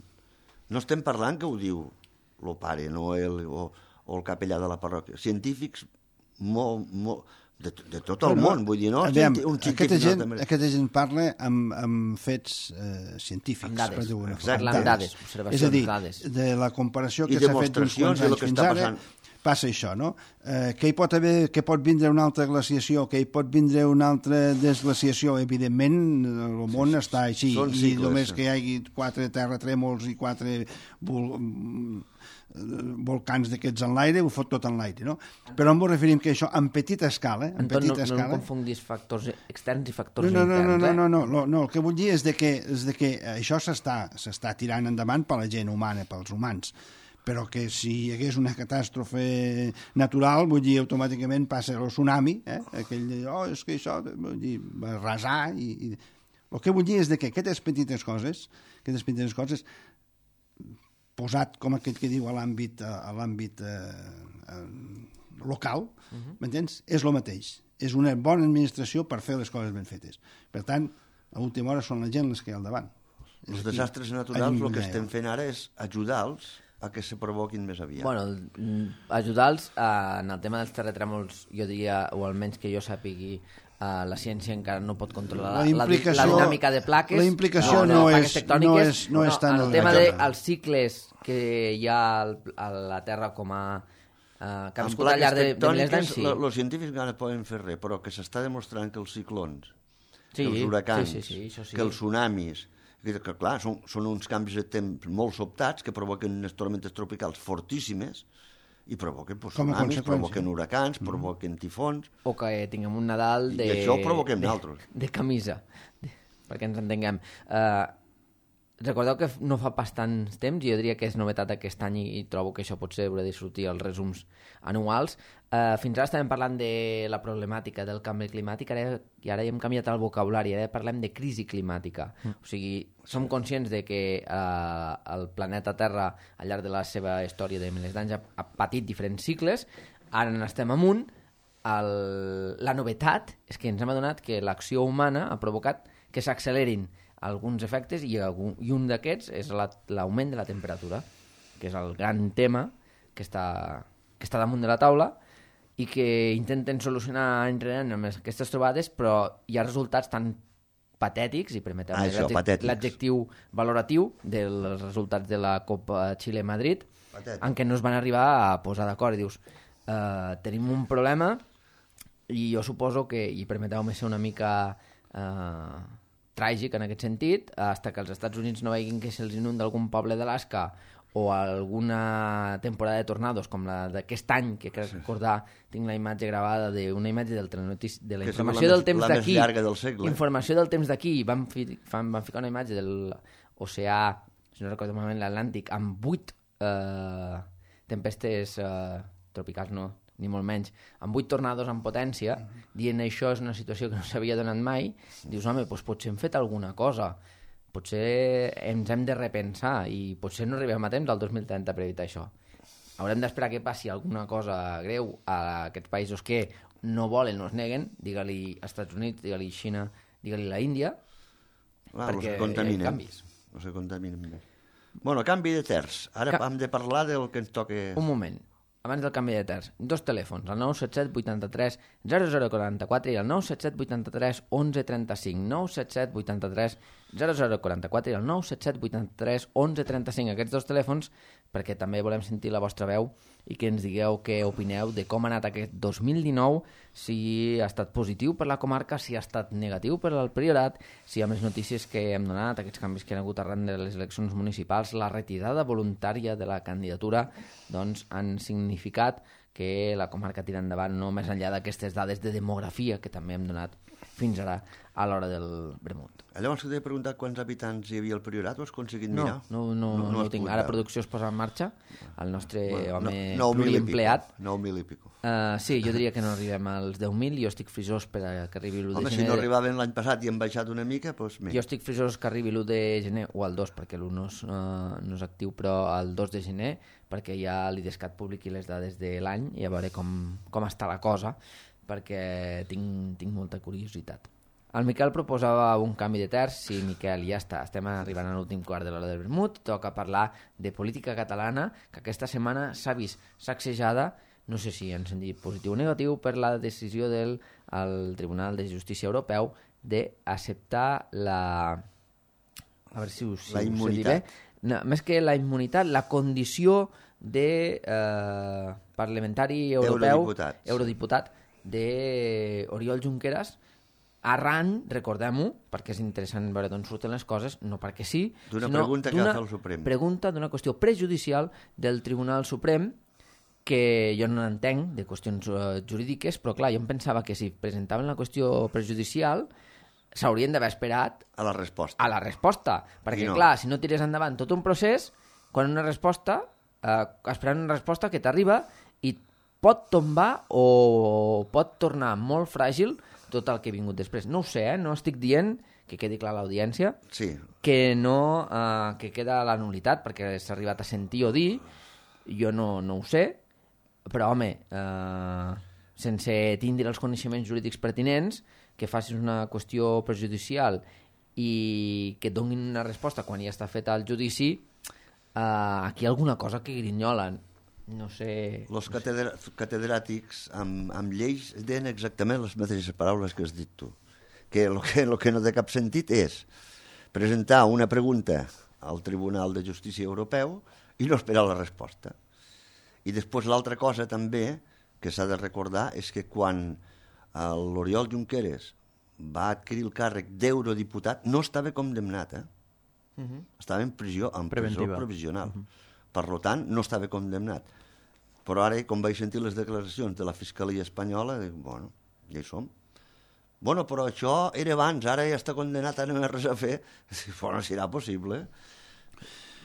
No estem parlant que ho diu el Pare Noel o el capellà de la parròquia. Científics de tot el món, vull dir, no? Aquesta gent parla amb fets científics. Amb dades, parla amb dades, observacions, dades. És a dir, de la comparació que s'ha fet uns quants anys fins ara, passa això, no? Que pot vindre una altra glaciació, que hi pot vindre una altra desglaciació, evidentment el món està així, i només que hi hagi 4 terratrèmols i 4 volcans d'aquests en l'aire, ho fot tot en l'aire, no? Però em referim que això en petita escala... Anton, no confundis factors externs i factors interns. No, el que vull dir és de que això s'està tirant endavant per la gent humana, pels humans, però que si hi hagués una catàstrofe natural, vull dir, automàticament passa el tsunami, aquell de, és que això, vull dir, va arrasar, i el que vull dir és de que aquestes petites coses, posat com aquest que diu a l'àmbit local, m'entens? És el mateix. És una bona administració per fer les coses ben fetes. Per tant, a última hora són la gent les que hi ha al davant. Els desastres naturals, el que estem fent ara és ajudar-los a que se provoquin més aviat. Bueno, ajudar-los en el tema dels terratrèmols, jo diria, o almenys que jo sàpigui, la ciència encara no pot controlar la dinàmica de plaques. La implicació no és tan... El tema dels cicles que hi ha a la Terra com a... que han viscut al llarg de milers d'anys, sí. Els científics encara poden fer res, però que s'està demostrant que els ciclons, que els huracans, que els tsunamis, que clar, són uns canvis de temps molt sobtats que provoquen unes tormentes tropicals fortíssimes i provoquen Com a tsunamis, conseqüència. provoquen huracans, provoquen tifons, O que tinguem un Nadal i això ho provoquem nosaltres. de camisa, perquè ens entenguem. Recordeu que no fa pas tant temps, i jo diria que és novetat aquest any i trobo que això potser haurà de sortir als resums anuals. Fins ara estàvem parlant de la problemàtica del canvi climàtic i ara hem canviat el vocabulari, ara parlem de crisi climàtica. O sigui, som conscients de que el planeta Terra al llarg de la seva història de milers d'anys ha patit diferents cicles, ara n'estem amunt. La novetat és que ens hem adonat que l'acció humana ha provocat que s'accelerin alguns efectes i un d'aquests és l'augment de la temperatura, que és el gran tema que està damunt de la taula i que intenten solucionar any rere any amb aquestes trobades, però hi ha resultats tan patètics, i permeteu l'adjectiu valoratiu dels resultats de la Copa Xile-Madrid, en què no es van arribar a posar d'acord. I dius, tenim un problema i jo suposo que, i permeteu-me ser una mica tràgic en aquest sentit, fins que els Estats Units no veguin que se'ls inunda algun poble d'Alaska o alguna temporada de tornados com la d'aquest any, que crec recordar, tinc la imatge gravada d'una imatge del telenotícies, de la informació del temps d'aquí, informació del temps d'aquí, van ficar una imatge de l'oceà, si no recordo malament, l'Atlàntic, amb 8 tempestes tropicals, no, ni molt menys, amb 8 tornados en potència, dient això és una situació que no s'havia donat mai, dius, home, doncs potser hem fet alguna cosa, potser ens hem de repensar i potser no arribem a temps al 2030 per evitar això. Haurem d'esperar que passi alguna cosa greu a aquests països que no volen, no es neguen, digue-li Estats Units, digue-li Xina, digue-li la Índia, perquè hi ha canvis. No se contaminen. Bueno, canvi de terç. Ara hem de parlar del que ens toca... Un moment. Abans del canvi de terç, 2 telèfons, el 977 83 0044 i el 977 83 1135, 977 83 0044 i el 977 83 1135. Aquests 2 telèfons, perquè també volem sentir la vostra veu i que ens digueu què opineu de com ha anat aquest 2019, si ha estat positiu per la comarca, si ha estat negatiu per al Priorat, si amb les notícies que hem donat, aquests canvis que han hagut arran de les eleccions municipals, la retirada voluntària de la candidatura, doncs han significat que la comarca tira endavant, no més enllà d'aquestes dades de demografia que també hem donat fins ara a l'hora del vermut. Llavors que t'he preguntat quants habitants hi havia al Priorat, ho has aconseguit mirar? No ho tinc. Ara producció es posa en marxa, el nostre home 9.000 pluriempleat. 9.000 i pico. Sí, jo diria que no arribem als 10.000, jo estic frisós per que arribi l'1 de gener. Home, si no arribaven l'any passat i hem baixat una mica, doncs més. Jo estic frisós que arribi l'1 de gener, o el 2, perquè l'1 no és actiu, però el 2 de gener, perquè ja l'IDESCAT publiqui les dades de l'any i a veure com està la cosa, perquè tinc molta curiositat. El Miquel proposava un canvi de terç. Sí, Miquel, ja està. Estem arribant a l'últim quart de l'hora del vermut. Toca parlar de política catalana, que aquesta setmana s'ha vist sacsejada, no sé si en sentit positiu o negatiu, per la decisió del Tribunal de Justícia Europeu d'acceptar la... A veure si la immunitat. No, més que la immunitat, la condició de parlamentari europeu, eurodiputat d'Oriol Junqueras, arran, recordem-ho, perquè és interessant veure d'on surten les coses, no perquè sí, d'una pregunta que va fer el Suprem. Pregunta d'una qüestió prejudicial del Tribunal Suprem, que jo no entenc de qüestions jurídiques, però clar, jo em pensava que si presentaven la qüestió prejudicial s'haurien d'haver esperat a la resposta. Perquè no. Clar, si no tires endavant tot un procés, quan una resposta, esperant una resposta que t'arriba i pot tombar o pot tornar molt fràgil tot el que ha vingut després. No ho sé, no estic dient, que quedi clar a l'audiència, sí, que no, que queda la nul·litat, perquè s'ha arribat a sentir o dir, jo no ho sé, però home, sense tindre els coneixements jurídics pertinents, que facis una qüestió prejudicial i que et donin una resposta quan ja està feta el judici, aquí hi ha alguna cosa que grinyolen. No sé... Els catedràtics amb lleis deien exactament les mateixes paraules que has dit tu. Que el que no té cap sentit és presentar una pregunta al Tribunal de Justícia Europeu i no esperar la resposta. I després l'altra cosa també que s'ha de recordar és que quan l'Oriol Junqueras va adquirir el càrrec d'eurodiputat no estava condemnat, estava en presó provisional. Per tant, no estava condemnat. Però ara, com vaig sentir les declaracions de la Fiscalia Espanyola, dic, bueno, ja hi som. Bueno, però això era abans, ara ja està condenat, no hi ha res a fer. Bueno, serà possible.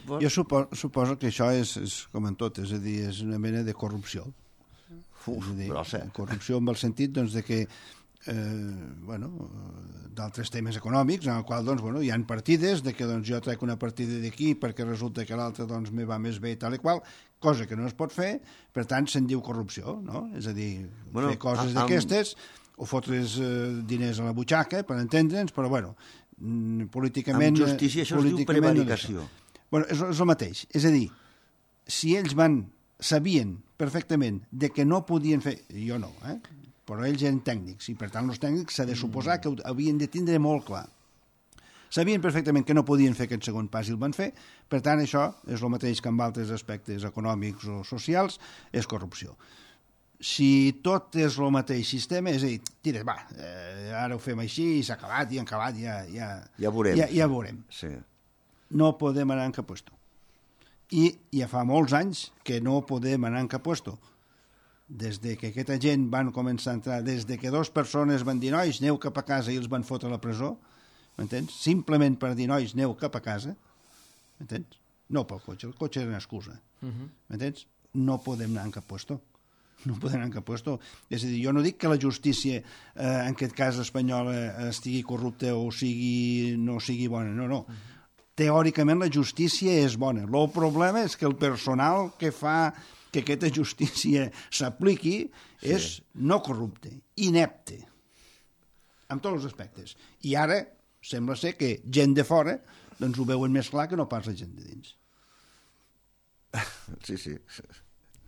Jo suposo que això és com en tot, és a dir, és una mena de corrupció. Corrupció en el sentit doncs, de que d'altres temes econòmics en el qual doncs, hi ha partides de que doncs, jo trec una partida d'aquí perquè resulta que l'altra doncs, me va més bé tal i qual, cosa que no es pot fer, per tant se'n diu corrupció, no? És a dir, fer coses d'aquestes o fotre's diners a la butxaca, per entendre'ns, però políticament... Amb justícia això es diu prevaricació. És el mateix, és a dir, si ells sabien perfectament de que no podien fer... Jo no, però ells eren tècnics, i per tant els tècnics s'ha de suposar que ho havien de tindre molt clar. Sabien perfectament que no podien fer aquest segon pas i el van fer, per tant això és el mateix que amb altres aspectes econòmics o socials, és corrupció. Si tot és el mateix sistema, és a dir, tira, ara ho fem així i s'ha acabat, ja veurem. Ja veurem. Sí. No podem anar en cap puesto. I ja fa molts anys que no podem anar en cap puesto. Des de que aquesta gent van començar a entrar, des de que 2 persones van dir nois, aneu cap a casa i els van fotre a la presó, m'entens? Simplement per dir nois, aneu cap a casa, m'entens? No pel cotxe, el cotxe era una excusa, m'entens? No podem anar en cap puesto. No podem anar en cap puesto. És a dir, jo no dic que la justícia, en aquest cas espanyola, estigui corrupta o no sigui bona, no. Teòricament la justícia és bona. El problema és que el personal que fa que aquesta justícia s'apliqui és no corrupte, inepte, en tots els aspectes. I ara sembla ser que gent de fora doncs ho veuen més clar que no pas la gent de dins. Sí.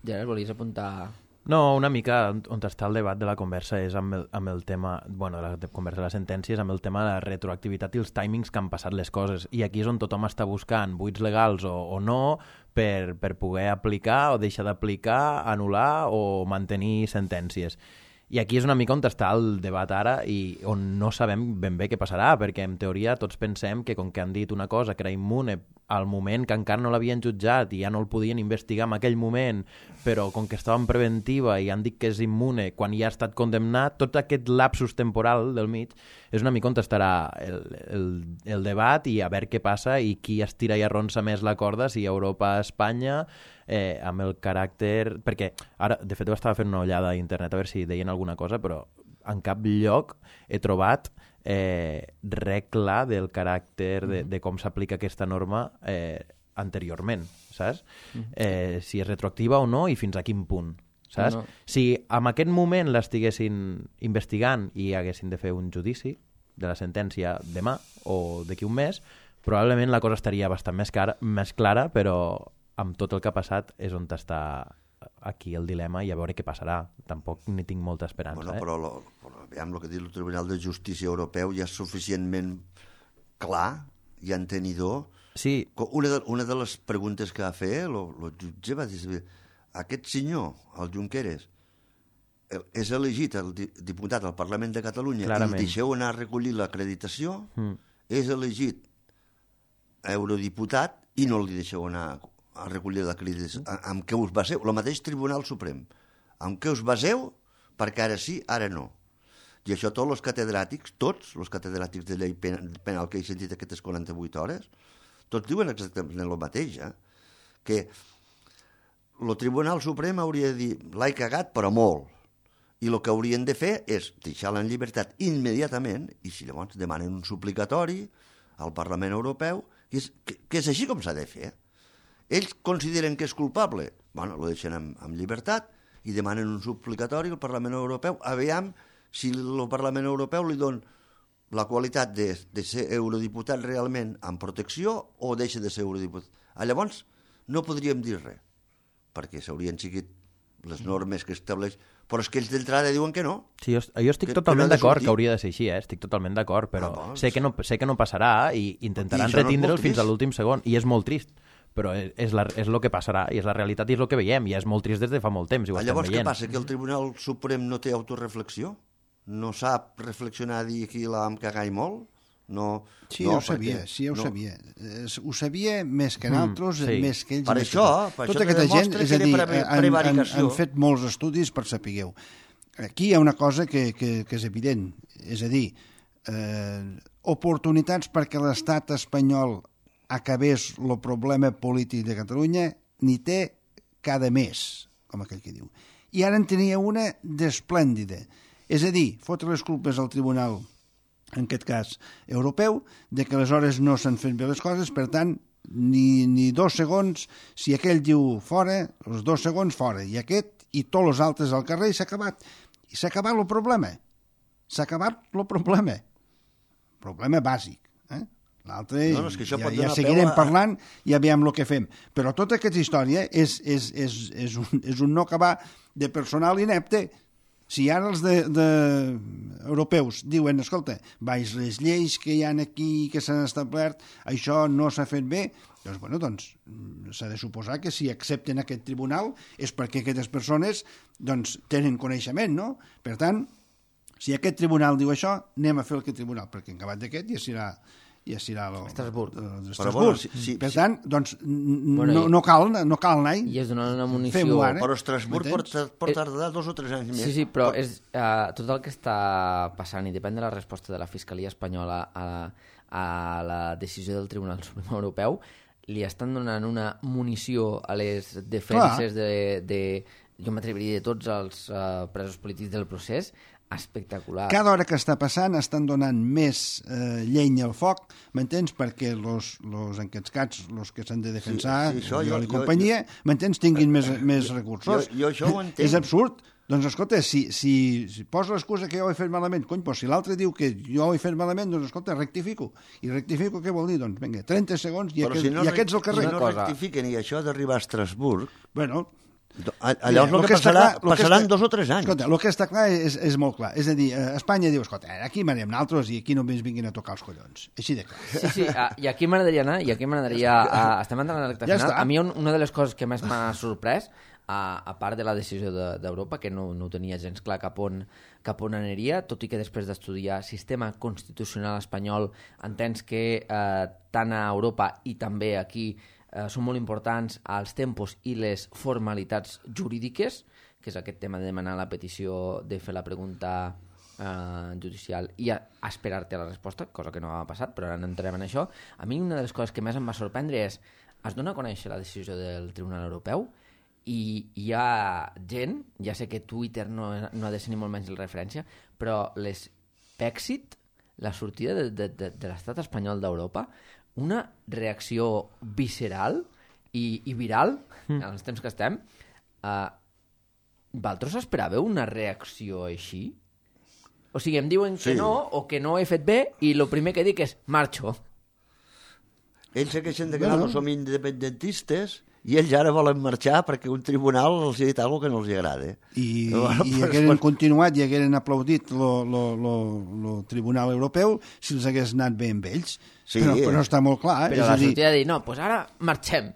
Gerard, volies apuntar... No, una mica on està el debat de la conversa és amb el tema, de la conversa de les sentències, amb el tema de la retroactivitat i els timings que han passat les coses. I aquí és on tothom està buscant buits legals o no per poder aplicar o deixar d'aplicar, anul·lar o mantenir sentències. I aquí és una mica on està el debat ara i on no sabem ben bé què passarà, perquè en teoria tots pensem que com que han dit una cosa que era immune al moment que encara no l'havien jutjat i ja no el podien investigar en aquell moment, però com que estava en preventiva i han dit que és immune quan ja ha estat condemnat, tot aquest lapsus temporal del mig és una mica on estarà el debat i a veure què passa i qui estira i arronsa més la corda, si Europa, Espanya, amb el caràcter... Perquè ara, de fet, estava fent una ullada a internet a veure si deien alguna cosa, però en cap lloc he trobat res clar del caràcter de com s'aplica aquesta norma anteriorment, saps? Si és retroactiva o no i fins a quin punt, saps? No. Si en aquest moment l'estiguessin investigant i haguessin de fer un judici de la sentència demà o d'aquí un mes, probablement la cosa estaria bastant més clara, però amb tot el que ha passat és on està aquí el dilema i a veure què passarà. Tampoc ni tinc molta esperança. Però aviam, el que diu el Tribunal de Justícia Europeu ja és suficientment clar i entenidor. Sí. Una de les preguntes que va fer el jutge va dir, aquest senyor, el Junqueras, és elegit el diputat al Parlament de Catalunya i el deixeu anar a recollir l'acreditació, és elegit eurodiputat i no li deixeu anar a recollir l'acreditació. Amb què us baseu? El mateix Tribunal Suprem. Amb què us baseu? Perquè ara sí, ara no. I això tots els catedràtics de llei penal que he sentit aquestes 48 hores, tots diuen exactament el mateix, que el Tribunal Suprem hauria de dir l'he cagat, però molt. I el que haurien de fer és deixar-la en llibertat immediatament i si llavors demanen un suplicatori al Parlament Europeu, que és així com s'ha de fer. Ells consideren que és culpable, lo deixen en llibertat i demanen un suplicatori al Parlament Europeu. Aviam si el Parlament Europeu li dona la qualitat de ser eurodiputat realment amb protecció o deixa de ser eurodiputat. Llavors no podríem dir res, perquè s'haurien seguit les normes que estableix, però és que ells d'entrada diuen que no. Sí, jo estic totalment d'acord que hauria de ser així, estic totalment d'acord, però sé que no passarà i intentaran retindre'l fins a l'últim segon, i és molt trist, però és el que passarà, i és la realitat i és el que veiem, i és molt trist des de fa molt temps, i ho estem llavors veient. Què passa, que el Tribunal Suprem no té autoreflexió? No sap reflexionar, dir aquí l'hem cagat molt? No, Sí, no, ho sabia, perquè sí, ho no. sabia. Ho sabia més que nosaltres, sí. més que ells. Per més que això, tot. per això Tota te aquesta gent, demostra és que a dir, era prevaricació. han fet molts estudis per sapigueu. Aquí hi ha una cosa que és evident, és a dir, oportunitats perquè l'estat espanyol acabés el problema polític de Catalunya n'hi té cada mes, com aquell que diu. I ara en tenia una d'esplèndida. És a dir, fotre les culpes al tribunal, en aquest cas europeu, de que aleshores no s'han fet bé les coses, per tant, ni 2 segons, si aquell diu fora, els 2 segons fora, i aquest i tots els altres al carrer, i s'ha acabat. I s'ha acabat el problema. S'ha acabat el problema. Problema bàsic. L'altre, No, és que això pot ja donar seguirem peu a- parlant i aviam el que fem. Però tota aquesta història és un no acabar de personal inepte. Si ara els europeus diuen, escolta, baix les lleis que hi ha aquí, que s'han establert, això no s'ha fet bé, doncs, bueno, doncs s'ha de suposar que si accepten aquest tribunal és perquè aquestes persones doncs, tenen coneixement, no? Per tant, si aquest tribunal diu això, anem a fer aquest tribunal, perquè en acabat d'aquest ja serà Estrasburg. Però, bueno, per tant, doncs, Bueno, no cal anar-hi. I és donar una munició... Fem-ho ara. Però Estrasburg M'entens? pot tardar 2 o 3 anys més. Sí, però és, tot el que està passant, i depèn de la resposta de la Fiscalia Espanyola a la decisió del Tribunal Suprem Europeu, li estan donant una munició a les defenses jo m'atreviria de tots els presos polítics del procés, espectacular. Cada hora que està passant estan donant més llenya al foc, m'entens? Perquè en aquests cats, els que s'han de defensar, Sí, això, i companyia, m'entens? Tinguin més recursos. Jo això ho entenc. És absurd. Doncs escolta, si posa l'excusa que jo ho he fet malament, cony, però si l'altre diu que jo ho he fet malament, doncs escolta, rectifico. I rectifico què vol dir? Doncs vinga, 30 segons i, Però si no, aquests al carrer. Si no rectifiquen i això d'arribar a Estrasburg, Bueno, allò és el que passarà, passaran 2 o 3 anys. Escolta, el que està clar és molt clar. És a dir, Espanya diu, escolta, aquí m'anem nosaltres i aquí només vinguin a tocar els collons. Així de clar. Sí, i aquí m'agradaria anar, estem entrant a la recta Ja final. està. A mi una de les coses que més m'ha sorprès, a part de la decisió d'Europa, que no ho tenia gens clar cap on aniria, tot i que després d'estudiar sistema constitucional espanyol entens que tant a Europa i també aquí són molt importants els tempos i les formalitats jurídiques, que és aquest tema de demanar la petició, de fer la pregunta judicial i a esperar-te la resposta, cosa que no ha passat, però ara no entrem en això. A mi una de les coses que més em va sorprendre és es dona a conèixer la decisió del Tribunal Europeu i hi ha gent, ja sé que Twitter no ha de ser ni molt menys la referència, però l'Exit, la sortida de l'estat espanyol d'Europa, una reacció visceral i viral, en els temps que estem. Vosaltres esperàveu una reacció així? O sigui, em diuen que no, o que no ho he fet bé, i el primer que dic és marxo. Ells se queixen de que no som independentistes i ells ara volen marxar perquè un tribunal els ha dit alguna cosa que no els agrada. I hagueren continuat i hagueren aplaudit el Tribunal Europeu si els hagués anat bé amb ells. Sí, però està molt clar. Però la sortida de dir, no, doncs ara marxem.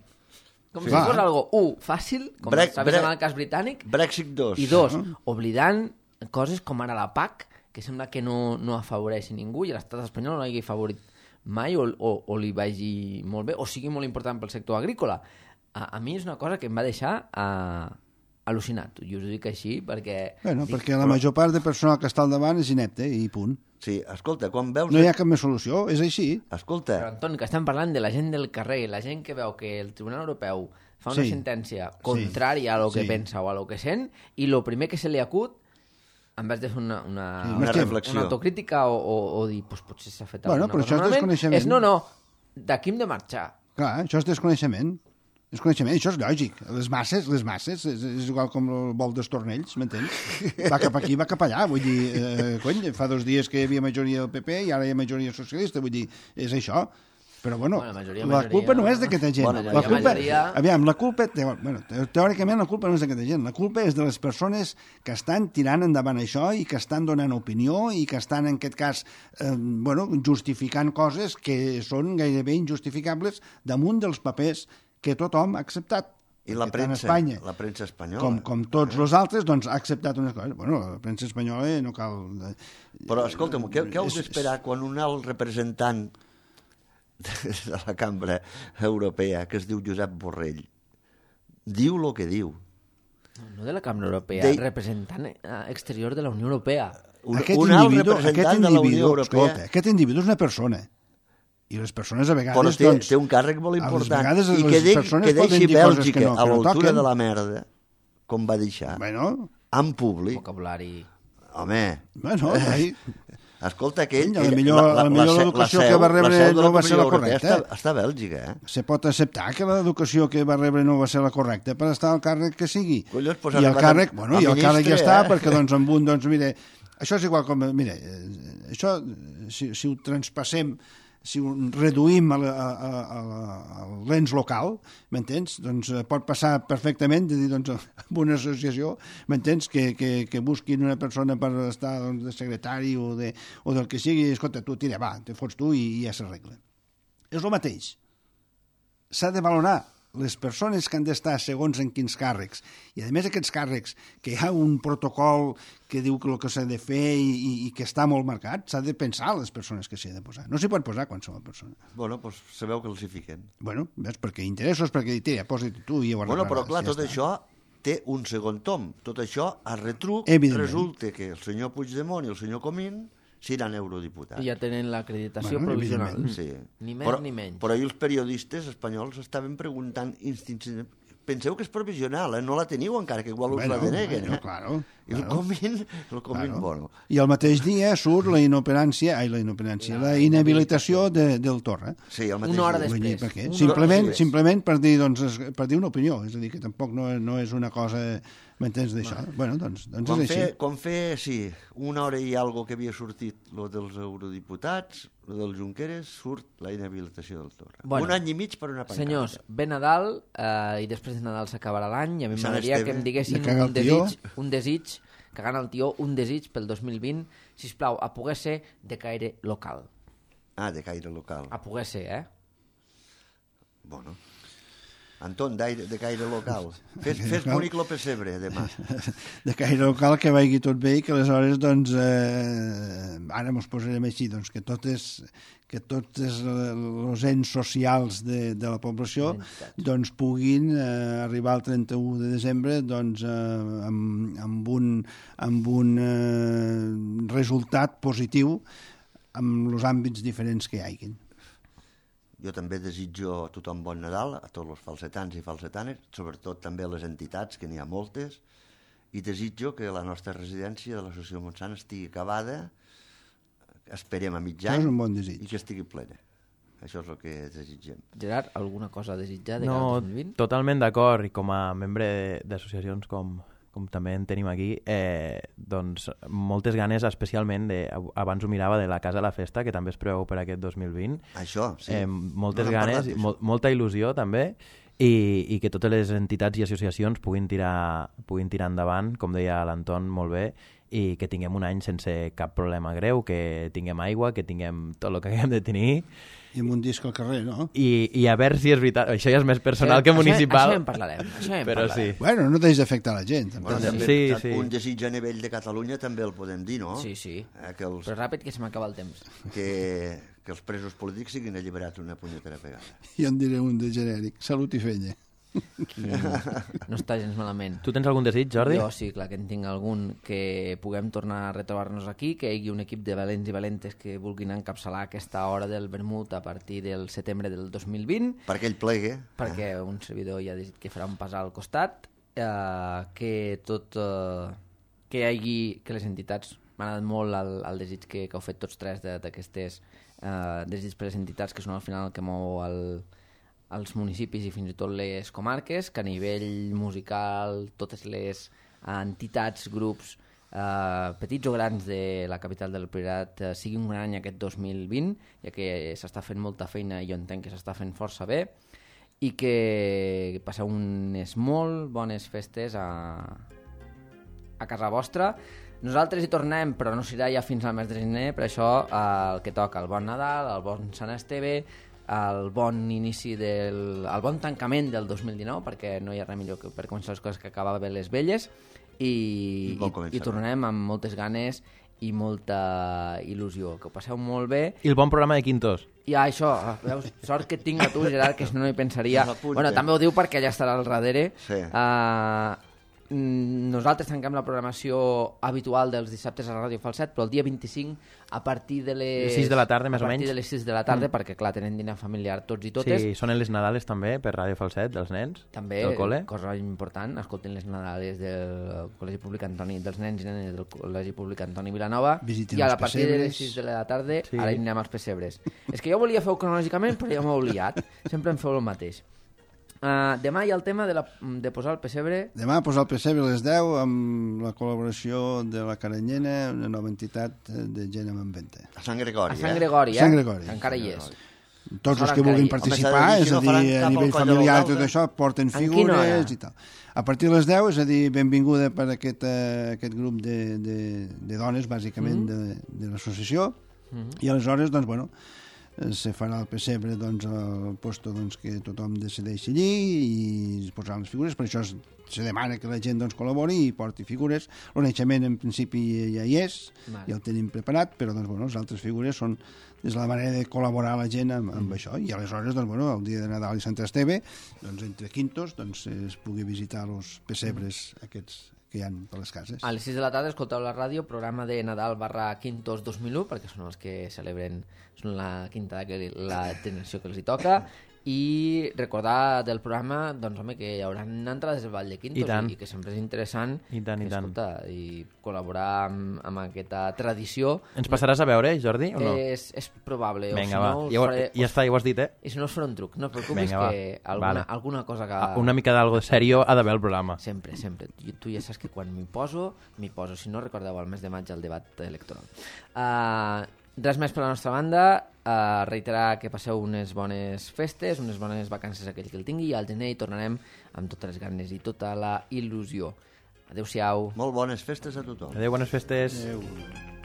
Com si fos algo, fàcil, com s'ha vist en el cas britànic, Brexit 2. i 2, oblidant coses com ara la PAC, que sembla que no afavoreix ningú i l'estat espanyol no l'hagi favorit mai o li vagi molt bé, o sigui molt important pel sector agrícola. A mi és una cosa que em va deixar al·lucinat, i us ho dic així perquè... Perquè la major part de personal que està al davant és inepte i punt. Sí, escolta, quan veus... No hi ha cap més solució, és així. Escolta... Però, Antoni, que estem parlant de la gent del carrer, la gent que veu que el Tribunal Europeu fa una sentència contrària a lo que pensa o a lo que sent, i el primer que se li acut, en vez de fer una reflexió, una autocrítica o dir, pues, potser s'ha fet alguna però cosa això és desconeixement. és no, d'aquí hem de marxar. Clar, això és desconeixement. Això és lògic. Les masses, és igual com el vol dels tornells, m'entens? Va cap aquí, va cap allà. Vull dir, fa 2 dies que hi havia majoria del PP i ara hi ha majoria socialista. Vull dir, és això. Però, bueno, la culpa no és d'aquesta gent. La culpa... Teòricament, la culpa no és d'aquesta gent. La culpa és de les persones que estan tirant endavant això i que estan donant opinió i que estan, en aquest cas, justificant coses que són gairebé injustificables damunt dels papers que tothom ha acceptat. I la Perquè tant premsa, la premsa espanyola. Com tots els altres, doncs ha acceptat unes coses. Bueno, la premsa espanyola no cal... Però, escolta'm, què heu d'esperar quan un alt representant de la cambra europea, que es diu Josep Borrell, diu el que diu? No de la Cambra Europea, representant exterior de la Unió Europea. Un alt representant de la Unió Europea... Escolta, aquest individu és una persona. I les persones a vegades... Però té un càrrec molt important. I que deixi Bèlgica a l'altura de la merda, com va deixar, en públic. Vocabulari... Home... Bueno, escolta, aquell... La millor l'educació que va rebre no va ser la correcta. Està a Bèlgica, Se pot acceptar que l'educació que va rebre no va ser la correcta per estar al càrrec que sigui. I el càrrec ja està, perquè doncs amb un, doncs mire, això és igual com... Mire, això, si ho transpassem, si ho reduïm a l'ens local, m'entens? Doncs pot passar perfectament de dir, doncs, amb una associació, m'entens? Que busquin una persona per estar de secretari o del que sigui, i escolta, tu tira, va, te fots tu i ja s'arregla. És el mateix. S'ha de valorar les persones que han d'estar segons en quins càrrecs, i a més aquests càrrecs, que hi ha un protocol que diu que el que s'ha de fer i que està molt marcat, s'ha de pensar les persones que s'hi ha de posar. No s'hi pot posar qualsevol persona. Bueno, doncs sabeu que els hi fiquen. Bueno, ves, perquè interessos, perquè tira, posa-t'hi tu i ho arreglaràs. Bueno, però clar, tot això té un segon tom. Tot això, a retruc, resulta que el senyor Puigdemont i el senyor Comín seran eurodiputats. I ja tenen l'acreditació provisional. Sí. Ni més ni menys. Però ahir els periodistes espanyols estaven preguntant instintivament. Penseu que és provisional, no la teniu encara, que igual us la deneguen. Claro. I el Comín, bueno. I al mateix dia surt la inhabilitació del Torra. Sí, el mateix una hora dia. després. Simplement per dir una opinió, és a dir, que tampoc no és una cosa... M'entens d'això? Bueno, doncs és així. Com sí, una hora i algo que havia sortit lo dels eurodiputats, lo del Junqueras, surt la inhabilitació del Torra. Un any i mig per una pancarta. Senyors, ve Nadal i després de Nadal s'acabarà l'any i a mi m'agradaria que em diguessin un desig, cagant el tió, un desig pel 2020, sisplau, a poder ser de caire local. De caire local. A poder ser, Bueno... Anton, de caire local. Fes bonic lo pessebre, demà. De caire local, que vagi tot bé i que aleshores, doncs, ara mos posarem així, doncs, que tots els ens socials de la població doncs, puguin arribar al 31 de desembre doncs, amb un resultat positiu en els àmbits diferents que hi hagin. Jo també desitjo a tothom bon Nadal, a tots els falsetans i falsetanes, sobretot també a les entitats, que n'hi ha moltes, i desitjo que la nostra residència de l'Associació Montsant estigui acabada, esperem a mig any, i que estigui plena. Això és el que desitgem. Gerard, alguna cosa a desitjar de cara al 2020? No, totalment d'acord, i com a membre d'associacions com també en tenim aquí, doncs moltes ganes, especialment, abans ho mirava, de la Casa a la Festa, que també es preveu per aquest 2020. Això, sí. Moltes ganes, molta il·lusió, també, i que totes les entitats i associacions puguin tirar endavant, com deia l'Anton molt bé, i que tinguem un any sense cap problema greu, que tinguem aigua, que tinguem tot el que haguem de tenir. I amb un disc al carrer, no? I a veure si és veritat. Això ja és més personal que municipal. Això en parlarem. Però sí. Bueno, no deixes d'afectar la gent. Sí. Un desig a nivell de Catalunya també el podem dir, no? Sí. Però ràpid, que se m'acaba el temps. Que els presos polítics siguin alliberats una punyetera vegada. Jo en diré un de genèric. Salut i fenya. No està gens malament. Tu tens algun desig, Jordi? Jo sí, clar que en tinc algun, que puguem tornar a retrobar-nos aquí, que hi hagi un equip de valents i valentes que vulguin encapçalar aquesta hora del vermut a partir del setembre del 2020. Perquè ell plegue. Perquè un servidor ja ha dit que farà un pas al costat, que hi hagi, que les entitats, m'ha agradat molt el desig que heu fet tots tres d'aquestes desig per les entitats, que són al final el que mou als municipis i fins i tot les comarques, que a nivell musical totes les entitats, grups petits o grans de la capital del Priorat sigui un gran any aquest 2020, ja que s'està fent molta feina i jo entenc que s'està fent força bé, i que passeu unes molt bones festes a casa vostra. Nosaltres hi tornem, però no serà ja fins al mes de gener, per això el que toca, el bon Nadal, el bon Sant Esteve, el bon inici el bon tancament del 2019, perquè no hi ha res millor que per començar les coses que acabar bé les velles, i tornarem amb moltes ganes i molta il·lusió. Que ho passeu molt bé. I el bon programa de Quintos. I això, veus, sort que et tinc a tu, Gerard, que si no hi pensaria. Bueno, també ho diu perquè ella estarà al darrere. Sí. Nosaltres tanquem la programació habitual dels dissabtes a Ràdio Falset, però el dia 25 a partir de les 6 de la tarda, més o menys. A partir de les 6 de la tarda, perquè clar, tenen dinar familiar tots i totes. Sí, són les Nadales també per Ràdio Falset, dels nens, també, del col·le. Cosa important, escolten les Nadales del Col·legi Públic Antoni, dels nens i nenes del Col·legi Públic Antoni Vilanova. Visiten i a els partir de les pessebres. 6 de la tarda Sí. ara anirem als pessebres. És que jo volia fer-ho cronològicament, però ja m'ho he oblidat. Sempre em feu el mateix. Demà hi ha el tema de posar el pessebre. Demà posar el pessebre a les 10 amb la col·laboració de la Caranyena, una nova entitat de gent amb venta. A Sant Gregori, A Sant Gregori, Sant Gregori. Encara hi és. Tots els Ara que vulguin encara hi- participar, Home, és s'ha a de dir, dir, si no a faran nivell cap al familiar i Coll de tot això, porten En quina hora? figures i tal. A partir de les 10, és a dir, benvinguda per aquest grup de dones, bàsicament, de l'associació, i aleshores, doncs, bueno, se farà el pessebre doncs, al posto doncs, que tothom decideix allí i es posaran les figures, per això se demana que la gent doncs, col·labori i porti figures. El naixement en principi ja hi és, ja el tenim preparat, però doncs, bueno, les altres figures són és la manera de col·laborar la gent amb això, i aleshores doncs, bueno, el dia de Nadal i Sant Esteve doncs, entre quintos doncs, es pugui visitar els pessebres aquests que hi ha per les cases. A les 6 de la tarda escolteu la ràdio, programa de Nadal /Quintos 2001, perquè són els que celebren, són la quinta la generació que els hi toca, i recordar del programa, doncs home, que hi haurà entrades al Vall de Quintos i que sempre és interessant I tant. i col·laborar amb aquesta tradició. Ens passaràs a veure, Jordi, o no? És probable. Vinga, o si no, va. Ja està, ja ho has dit, eh? I si no us faré un truc, no et preocupis. Vinga, que vale. alguna cosa que... Una mica d'algo serio ha d'haver el programa. Sempre. Tu ja saps que quan m'hi poso. Si no, recordeu el mes de maig el debat electoral. Res més per la nostra banda. Reiterar que passeu unes bones festes, unes bones vacances a aquell que el tingui, i al gener hi tornarem amb totes les ganes i tota la il·lusió. Adéu-siau. Molt bones festes a tothom. Adéu, bones festes. Adéu.